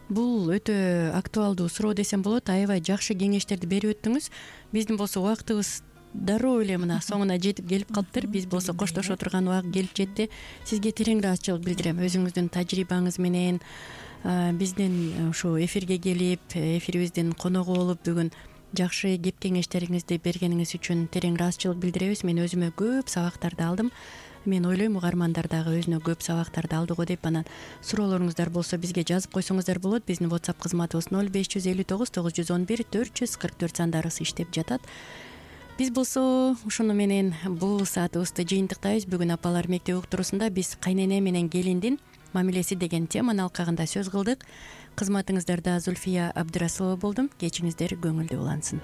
бул өтө актуалдуу суроо десем болот. Аябай жакшы кеңештерди берип өттүңүз. Биздин болсо убактыбыз дароо эле мына соңуна жетип келип калыптыр. Биз болсо коштошо турган убак келип жетти. Сизге терең ыраазычылык билдирем. Өзүңүздүн тажрыйбаңыз менен биздин ушу эфирге келип, эфирибиздин коногу болуп бүгүн жакшы кеп кеңештериңизди бергениңиз үчүн терең ыраазычылык билдиребиз. Мен өзүмө көп сабактарды алдым. Мен ойлойм, угармандар дагы өзүнө көп сабактарды алды го деп. Анан суроолоруңуздар болсо бизге жазып койсоңуздар болот. Биздин WhatsApp кызматыбыз 0559 911 444 сандары иштеп жатат. Биз болсо ушуну менен бул саатыбызды жыйынтыктайбыз. Бүгүн апалар мектеби уктуруусунда биз кайнене менен келиндин мамилеси деген теманын алкагында сөз кылдык. Кызматыңыздарда Зульфия Абдрасулова болдум. Кечиңиздер көңүлдүү улансын.